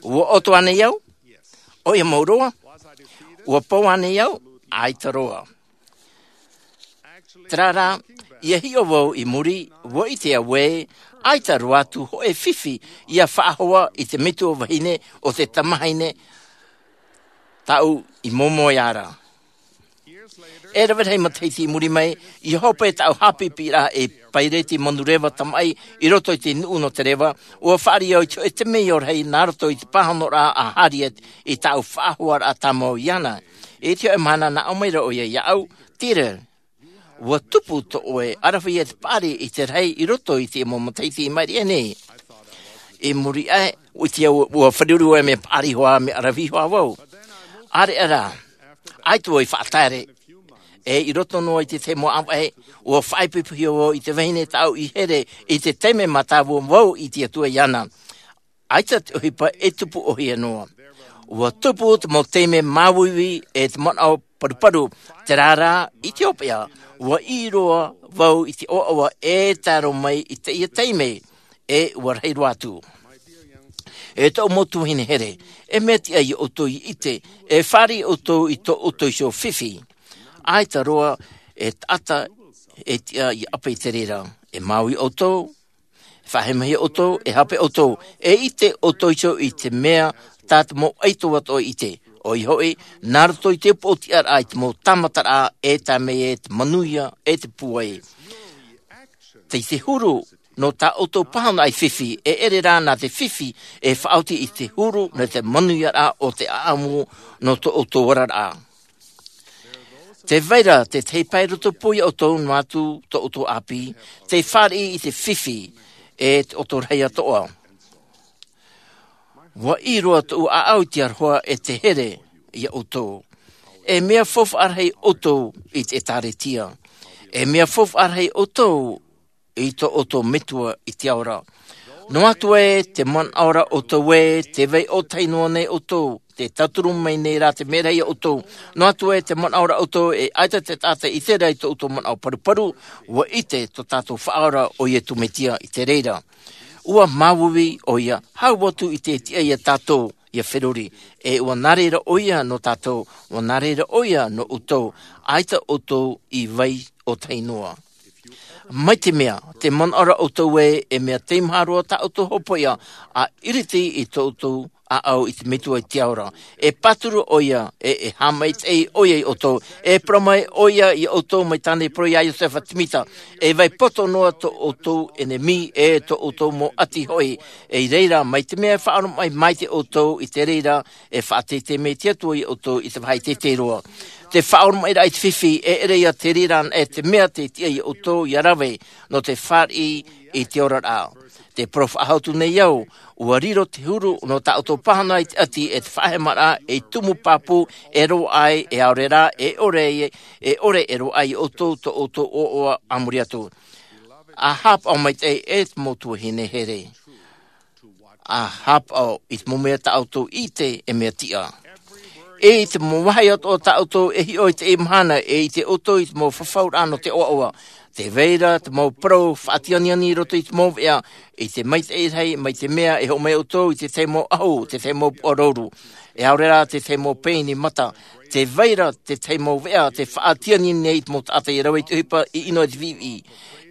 Ua ʻoto ānei au? ʻOia mau roa. Ua pau ānei au? ʻAita roa. Terā rā, ia hiʻo vau i muri, ua ʻite au ē ʻaita roa atu hōʻē fifi ia faʻahoa i te metua vahine o te tamahine tāʻu i moemoeā ra. E rave rahi matahiti i muri mai, ia hope tāʻu haʻapiʻiraʻa ei paireti manureva tamaʻi i roto i te nuʻu nō te reva. Ua fāriʻi au i te hōʻē temeio rahi nā roto i te pāhonoraʻa a Harriet i tāʻu faʻahoaraʻa tāmau iāna. I te hōʻē mahana nā ʻō mai ra ʻoia iāʻu, Tira, ua tupu tō ʻoe ʻaravihi e te paʻari i te rahi i roto i te mau matahiti i maʻiri aʻe nei. I muri aʻe, ʻua ʻite au ua feruri ʻoe mea paʻari hoʻi mea ʻaravihi hoʻi vau. ʻĀreʻa rā, ʻaita vau i faʻataere. E i roto noa i te tahi mau ʻāvaʻe, ua faʻaipoipohia vau i te vahine tāʻu i here i te taime mātāmua vau i te atua iāna. ʻAita te ʻohipa e tupu ʻōhie noa. Ua tupu te mau taime māuiui e te manaʻo paruparu. Terā rā, i te hopeʻa, ua ʻī roa vau i te ʻoaʻoa e tae roa mai i teie taime, e ua rahi roa atu. E tōʻu mau tuahine here, e mea tiʻa ia ʻoutou i ʻite, e fāriʻi ʻoutou i tō ʻoutou iho fifi. ʻAita roa e taʻata e tiʻa ia ʻape i te reira. E māuiui ʻoutou, e faʻahemahia ʻoutou, e hape ʻoutou, e ʻite ʻoutou iho i te mea tā te mau ʻaito atoʻa i ʻite. ʻOia hoʻi, nā roto i te upoʻotiʻaraʻa i te mau tāmataraʻa e tae mai e te manuia e te pūai. Tei te huru nō tā ʻoutou pāhonoraʻa i fifi, e ʻere rā nā te fifi e faʻaoti i te huru nō te manuiaraʻa o te ʻaʻamu nō tō ʻoutou oraraʻa. Tē vai ra te tahi pae roto pū ia ʻoutou noa atu tō ʻoutou ʻāpī, tē fāriʻi i te fifi e te ʻoto rahi atoʻa. Ua ʻī roa tōʻu ʻāʻau i te aroha e te here ia ʻoutou. E mea faufaʻa rahi ʻoutou i te ʻĒtārētia. E mea faufaʻa rahi ʻoutou i tō ʻoutou Metua i te ao ra. Noa atu ē te manaʻo ra ʻoutou ē tē vai ʻōtahi noa nei ʻoutou, tē tauturu mai nei rā te meraʻa ia ʻoutou. Noa atu ē te manaʻo ra ʻoutou e ʻaita te taʻata i ʻite ra i tō ʻoutou manaʻo paruparu, ua ʻite tō tātou Faʻaora ʻo Iesu Mesia i te reira. Ua māuiui ʻoia, hau atu i te tiʻa ia tātou ia feruri, e ua nā reira ʻoia nō tātou, ua nā reira ʻoia nō ʻoutou, ʻaita ʻoutou i vai ʻōtahi noa. Mai te mea, tē manaʻo ra ʻoutou ē, e mea teimaha roa tā ʻoutou hopoiʻa, ʻa ʻiriti i tō ʻoutou ʻāʻau i te Metua i te ao ra. E pāturu ʻoia, e, e haʻamaitaʻi ʻoia ia ʻoutou, e parau mai ʻoia ia ʻoutou mai tāna i parau ia Iosefa Semita, e vai poto noa tō ʻoutou ʻenemi, e tō ʻoutou mau ʻati hoʻi, e i reira, mai te mea e faʻaoromaʻi maitaʻi ʻoutou i te reira, e faʻateitei mai te Atua ia ʻoutou i te vāhi teitei roa. Te faʻaoromaʻiraʻa i te fifi, e ʻere ia te reira, e te mea tē tiʻa ia ʻoutou ia rave, nō te fāriʻi i te oraraʻa. Tē parau faʻahou atu nei au, ua riro te huru nō tā ʻoutou pāhonoraʻa i te ʻati e te faʻahemaraʻa ei tumu pāpū e roaʻa ai, e aore rā, e ʻore ai, e ʻore e roaʻa ai ia ʻoutou tō ʻoutou ʻoaʻoa a muri atu. ʻA haʻapaʻo maitaʻi e te mau tuahine here. ʻA haʻapaʻo i te mau mea tā ʻoutou i ʻite e mea tiʻa. E i te mau vāhi atoʻa tā ʻoutou e hiʻo i teie mahana, e ʻite ʻoutou i te mau fafauraʻa nō te ʻoaʻoa. Tē vai ra te mau parau faʻatianiani i roto i te mau veʻa, i te maitaʻi rahi, mai te mea e hoʻo mai ʻoutou i te tahi mau ʻahu, te tahi mau puʻa rouru. E aore rā te tahi mau pēni mata, tē vai ra te tahi mau veʻa, tē faʻatianiani nei i te mau taʻata ia rave i te ʻohipa i ʻino i te viʻiviʻi.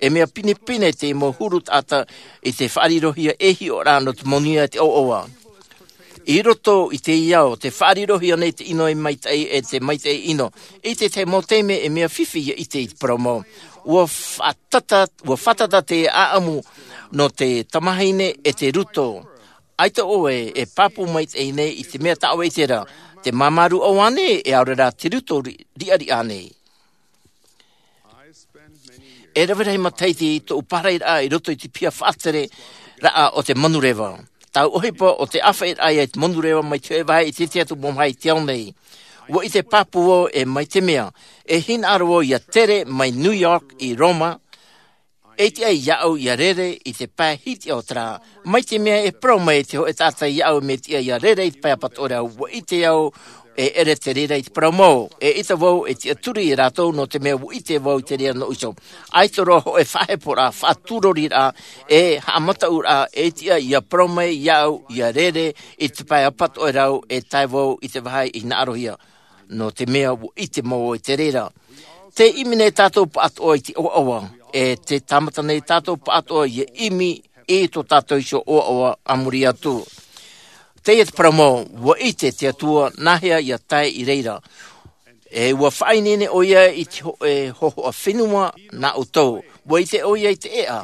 E mea pinepine te mau huru taʻata i te faʻarirohia e hiʻoraʻa nō te manuia e te ʻoaʻoa. I roto i teie ao, tē faʻarirohia nei te ʻino e maitaʻi e te maitaʻi ʻino. I te tahi mau taime e mea fifi ia ʻite i te parau mau. Ua fātata, ua fātata te ʻaʻamu nō te tamahine e te ruto. ʻAita ʻoe e pāpū maitaʻi nei i te mea tā ʻoe e ʻite ra, te māmā rūʻau ānei, e aore rā te ruto ri-, riʻariʻa ānei. E rave rahi matahiti tōʻu pārahiraʻa i roto i te piha faʻatereraʻa o te manureva. tau ʻohipa o te ʻāfaʻiraʻa i te monureva mai te hōʻē vāhi i te tiʻa atu mau vāhi i te ao nei. Ua ʻite pāpū vau e mai te mea e hinaʻaro vau ia tere mai New York i Roma, e tiʻa iāʻu ia rere i te pae hiti o te rā. Mai te mea e parau mai te hōʻē taʻata iāʻu mea tiʻa ia rere i te pae apatoʻerau, ua ʻite au e ʻere te reira i te parau mau. E ʻita vau e tiʻaturi iā rātou nō te mea ua ʻite vau i te reira nō ʻiso. ʻAita roa hōʻē faʻaheporaʻa, faʻatūroriraʻa, e haʻamataʻuraʻa e tiʻa ia parau mai iāʻu ia rere i te pae apatoʻerau e tae vau i te vāhi i hinaʻarohia. Nō te mea ua ʻite mau vau i te reira. Tē ʻimi nei tātou pāʻatoʻa i te ʻoaʻoa, e tē tāmata nei tātou pāʻatoʻa ia ʻimi i tō tātou iho ʻoaʻoa a muri atu. Teie te parau mau, ua ʻite te Atua nāhea ia tae i reira. E ua faʻaineine ʻoia i te hōʻē hōhoʻa fenua nā ʻoutou. Ua ʻite ʻoia i te ʻēʻa.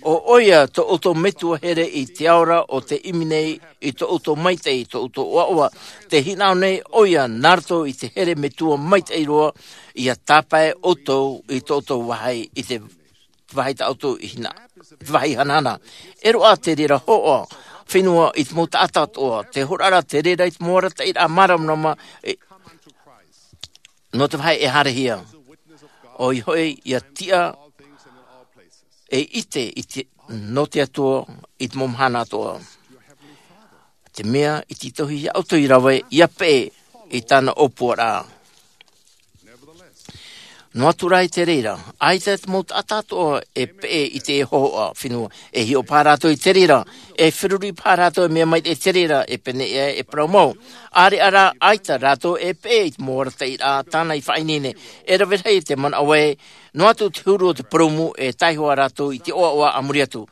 ʻO ʻoia tō ʻoutou metua here i te ao ra o tē ʻimi nei i tō ʻoutou maitaʻi, tō ʻoutou ʻoaʻoa. Tē hinaʻaro nei ʻoia nā roto i te here metua maitaʻi roa, ia tāpae ʻoutou i tō ʻoutou vāhi i te vāhi tā ʻoutou i hina-, te vāhi hanahana. E roaʻa te reira hōhoʻa fenua i te mau taʻata atoʻa, te hōroʻa ra te reira i te mau arataʻiraʻa māramarama, e, nō te vāhi e haerehia. ʻOia hoʻi, ia tiʻa e ʻite i te, nō te Atua i te mau mahana atoʻa. Te mea i tītauhia iā ʻoutou i rave, ia peʻe i tāna ʻōpuaraʻa. Noa atu rā i te reira, ʻaita te mau taʻata atoʻa e peʻe i te hōhoʻa fenua, e hiʻo paha rātou i te reira, e feruri paha rātou e mea maitaʻi i te reira, e pēneiaʻe e parau mau. ʻĀreʻa rā, ʻaita rātou e peʻe i te mau arataʻiraʻa tāna i faʻaineine, e rave rahi te manaʻo ē, noa atu te huru o te purūmu e taihoa rātou i te ʻoaʻoa a muri atu.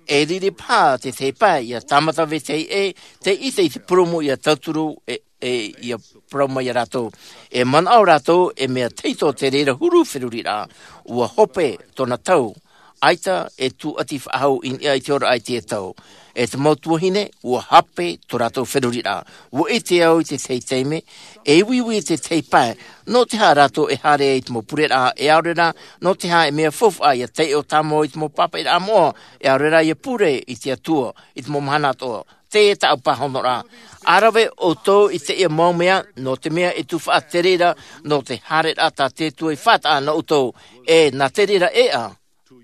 E riri paha te tahi pae, ia tāmata vetahi ʻē, tē ʻite i te purūmu ia tauturu, e, e ia parau mai iā rātou. E manaʻo rātou, e mea tahito te reira huru feruriraʻa, ua hope tōna tau, ʻaita e tūʻati faʻahou i niʻa i te ora i te tau. E te mau tuahine, ua hape tō rātou feruriraʻa. Ua ʻite au i te tahi taime, e uiui i te tahi pae, nō te aha rātou e haere ai i te mau pureraʻa, e ʻaore rā, nō te aha e mea faufaʻa ia taiʻo tāmau i te mau pāpaʻiraʻa moʻa, e ʻaore rā ia pure i te Atua, i te mau mahana atoʻa. Teie tāʻu pāhonoraʻa. ʻA rave ʻoutou i teie mau mea, nō te mea e tufaʻa te reira, nō te haereraʻa tā te Atua i faʻataʻa nō ʻoutou, e nā te reira ʻēʻa,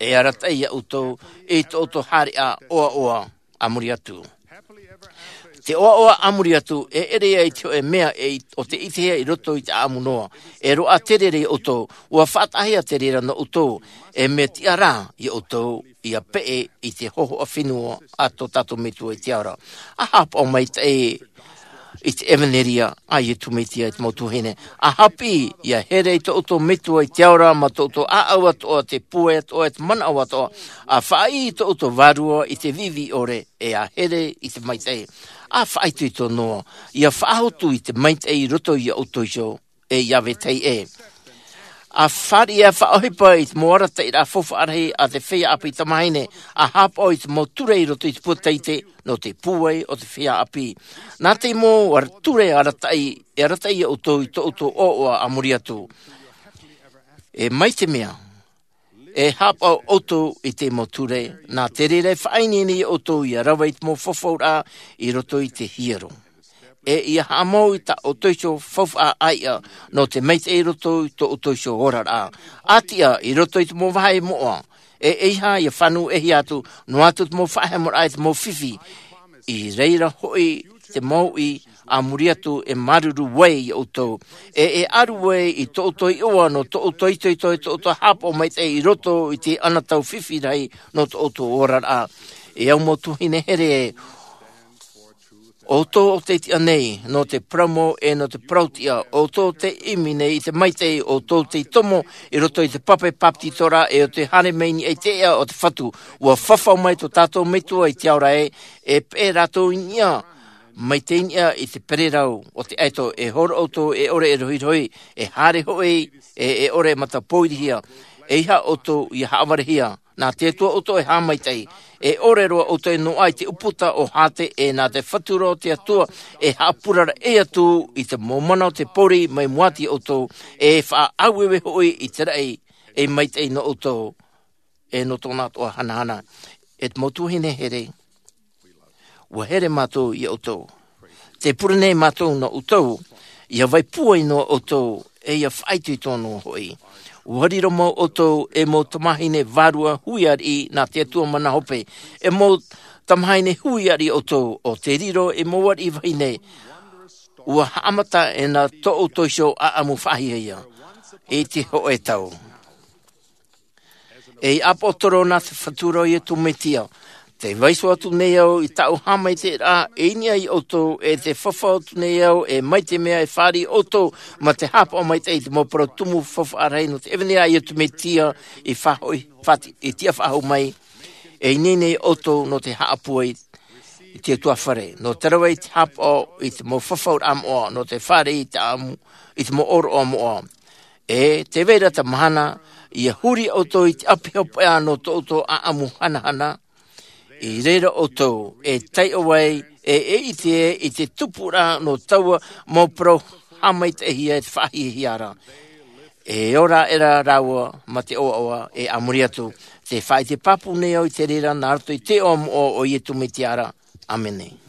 e arataʻi iā ʻoutou, i tō ʻoutou haereʻa ʻoaʻoa a muri atu. Te ʻoaʻoa a muri atu, e ʻere ia i te hōʻē mea e i-, ʻo tē ʻitehia i roto i te ʻāʻamu noa. E roaʻa te reira iā ʻoutou, ua faʻataʻahia te reira nō ʻoutou, e mea tiʻa rā iā ʻoutou, ia peʻe i te hōhoʻa fenua a tō tātou Metua i te ao ra. ʻA haʻapaʻo maitaʻi i te ʻevanelia a Iesu Mesia i te mau tuahine. ʻA haʻapiʻi, ia here i tō ʻoutou Metua i te ao ra, mā tō ʻoutou ʻāʻau atoʻa, te pūai atoʻa, te manaʻo atoʻa, ʻa faʻaʻī i tō ʻoutou vārua i te viʻiviʻi ʻore, e ʻa here i te maitaʻi. ʻA faʻaitoito noa, ia faʻahotu i te maitaʻi i roto iā ʻoutou iho, e ia vetahi ʻē. ʻA fāriʻi, ʻa faʻaʻohipa i te mau arataʻiraʻa faufaʻa rahi a te feiā ʻāpī tamāhine, ʻa haʻapaʻo i te mau ture i roto i te pūtaite, nō te pūai o te feiā ʻāpī. Nā te mau ara-, ture arataʻi, e arataʻi iā ʻoutou i tō ʻoutou ʻoaʻoa a muri atu. E mai te mea, e haʻapaʻo ʻoutou i te mau ture, nā te reira e faʻaineine iā ʻoutou ia rave i te mau fafauraʻa i roto i te hiero. E ia haʻamau i tā ʻoutou iho faufaʻa ʻāiʻa, nō te maitaʻi i roto i tō ʻoutou iho oraraʻa. ʻA tiʻa i roto i te mau vāhi moʻa, e ʻeiaha ia fānau ʻēhia atu, noa atu te mau faʻahemoraʻa i te mau fifi. I reira hoʻi te mouʻi a muri atu e māuruuru ai iā ʻoutou. E, e ʻaru ai i tō ʻoutou iʻoa nō tō ʻoutou itoito, i tō ʻoutou haʻapaʻo maitaʻi i roto i te anotau fifi rahi nō tō ʻoutou oraraʻa. E au mau tuahine here, ʻoutou ʻo tē tiʻa nei, nō te parau mau e nō te parau tiʻa, ʻoutou tē ʻimi nei i te maitaʻi, ʻoutou tei tomo i roto i te pape bāpetizoraʻa, e ʻo tē haere mai i niʻa i te ʻēʻa o te Fatu, ʻua fafau mai tō tātou Metua i te ao ra ē, e peʻe rātou i niʻa, mai te niʻa i te pererau o te ʻaito, e horo ʻoutou e ʻore e rohirohi, e haere hoʻi, e, e ʻore e matapōirihia, ʻeiaha ʻoutou ia haʻavarehia, nā te Atua ʻoutou e haʻamaitaʻi, e ʻore roa ʻoutou e noaʻa i te ʻūputa o Hāte, e nā te Fatu ra o te Atua, e haʻapuraraʻi atu i te mau mana o te pōuri mai mua atu iā ʻoutou, e faʻaʻaueue hoʻi i te raʻi, e maitaʻi nō ʻoutou, e nō tōna atoʻa hanahana. E te mau tuahine here, ua here mātou iā ʻoutou. Te pure nei mātou nō ʻoutou, ʻia vai pūai noa ʻoutou, e ʻia faʻaitoito noa hoʻi. ʻUa riro mau ʻoutou e mau tamāhine vārua hui ariʻi nā te Atua mana hope, e mau tamāhine hui ariʻi ʻoutou, ʻo te riro e mau ariʻi vahine, ʻua haʻamata e nā tō ʻoutou iho ʻāʻamu faʻahiahia, i te hōʻē tau. E ʻāpōsetolo nā te Fatu ra ʻo Iesu Mesia, tē vaiiho atu nei au i tāʻu haʻamaitaʻiraʻa, e ʻimi iā ʻoutou, e tē fafau atu nei au, e mai te mea e fāriʻi ʻoutou, mā te haʻapaʻo maitaʻi i te mau parau tumu faufaʻa rahi nō te ʻevanelia a Iesu Mesia, i faʻahoʻi, fati-, i tiʻa faʻahou mai, e ineine ʻoutou nō te haʻapūai i te utuāfare, nō te rave i te haʻapaʻo i te mau fafauraʻa moʻa, nō te fāriʻi i te ʻāʻamu, i te mau ʻōroʻa moʻa. E tē vai ra te mahana, ʻia huri ʻoutou i te ʻapi hopeʻa nō tō ʻoutou ʻāʻamu hanahana, i reira ʻoutou e taiʻo ai, e, e ʻite i te tupuraʻa nō taua mau parau haʻamaitaʻihia e te faʻahiahia ra. E ora aʻera rāua mā te ʻoaʻoa, e a muri atu, tē faʻaʻite pāpū nei au i te reira nā roto i te iʻoa moʻa o Iesu Mesia ra. ʻĀmene.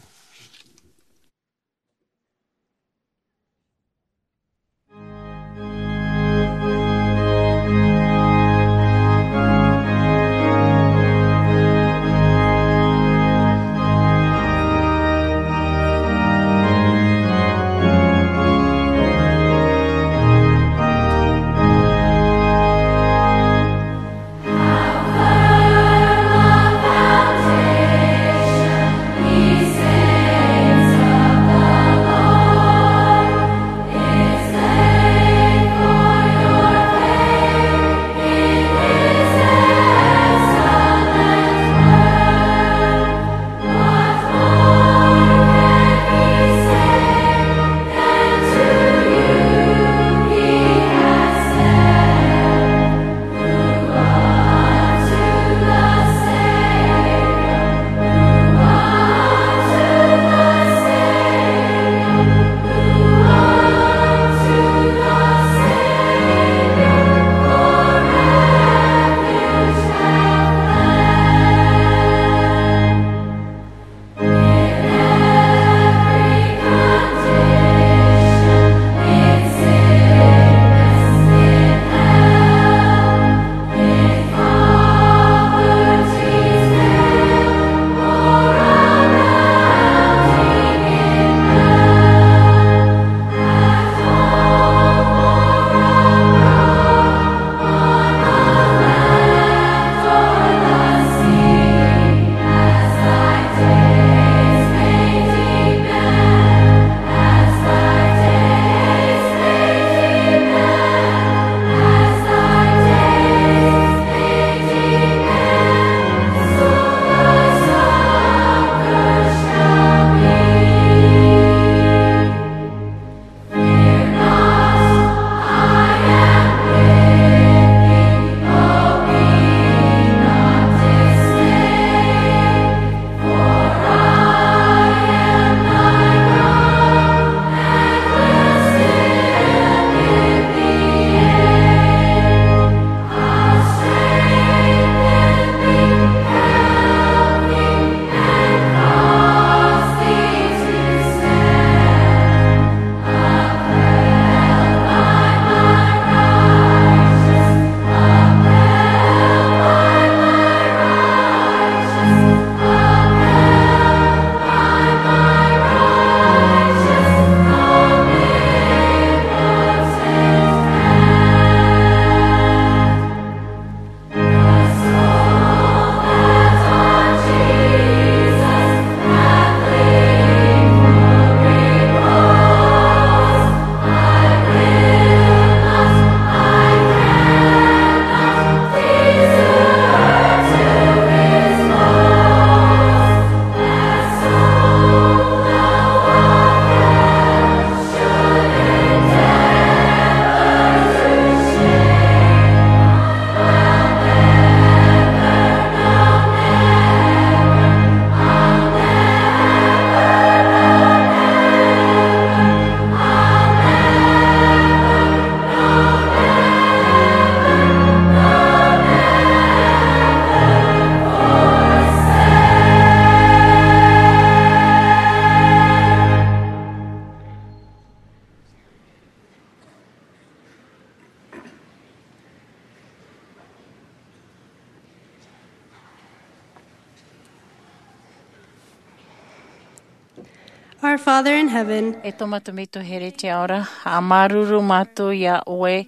Our Father in heaven, e tō mātou Metua here i te ao ra, ʻa māuruuru mātou iā ʻoe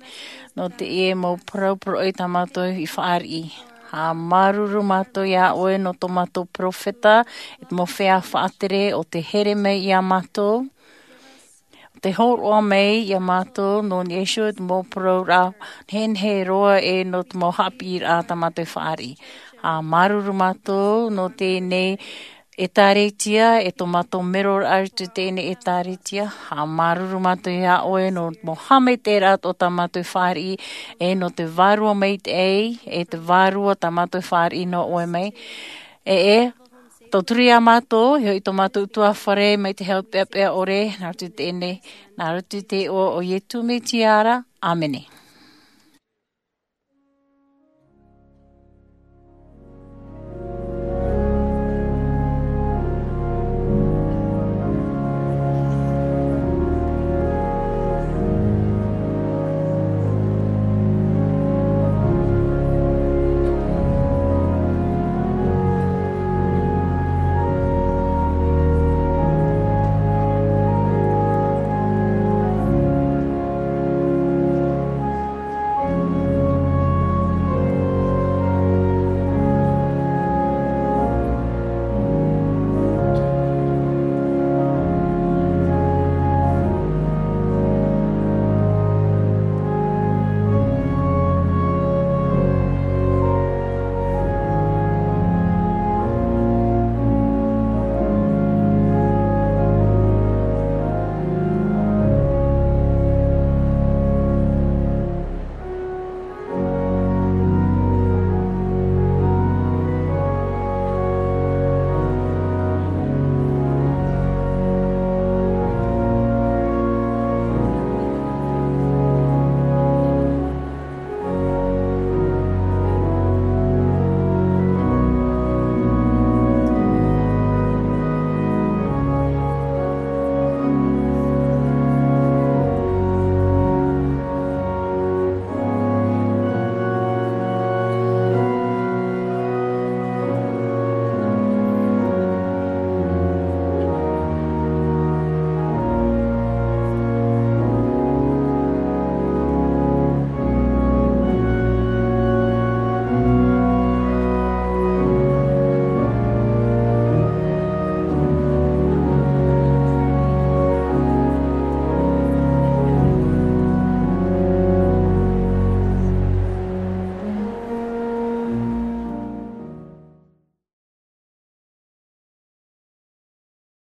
nō teie mau parau poroʻi tā mātou i fāriʻi. ʻA māuruuru mātou iā ʻoe nō tō mātou peropheta, e te mau feiā faʻatere o te here mai iā mātou, o te hōroʻa mai iā mātou nō niʻa iho i te mau parau ra nehenehe roa e nō te mau haʻapiʻiraʻa tā mātou i fāriʻi. ʻA māuruuru mātou nō teie nei ʻētāretia, e tō mātou mero ra i roto i teie nei ʻētāretia. ʻA māuruuru mātou iā ʻoe nō te mau haʻamaitaʻiraʻa o tā mātou i fāriʻi, e nō te vārua maitaʻi, e te vārua tā mātou i fāriʻi nō ʻoe mai. E, e, tauturu iā mātou, e hoʻi tō mātou ʻutuāfare mai te hau peʻapeʻa ʻore, nā roto i teie nei, nā roto i te iʻoa o Iesu Mesia ra. ʻĀmene.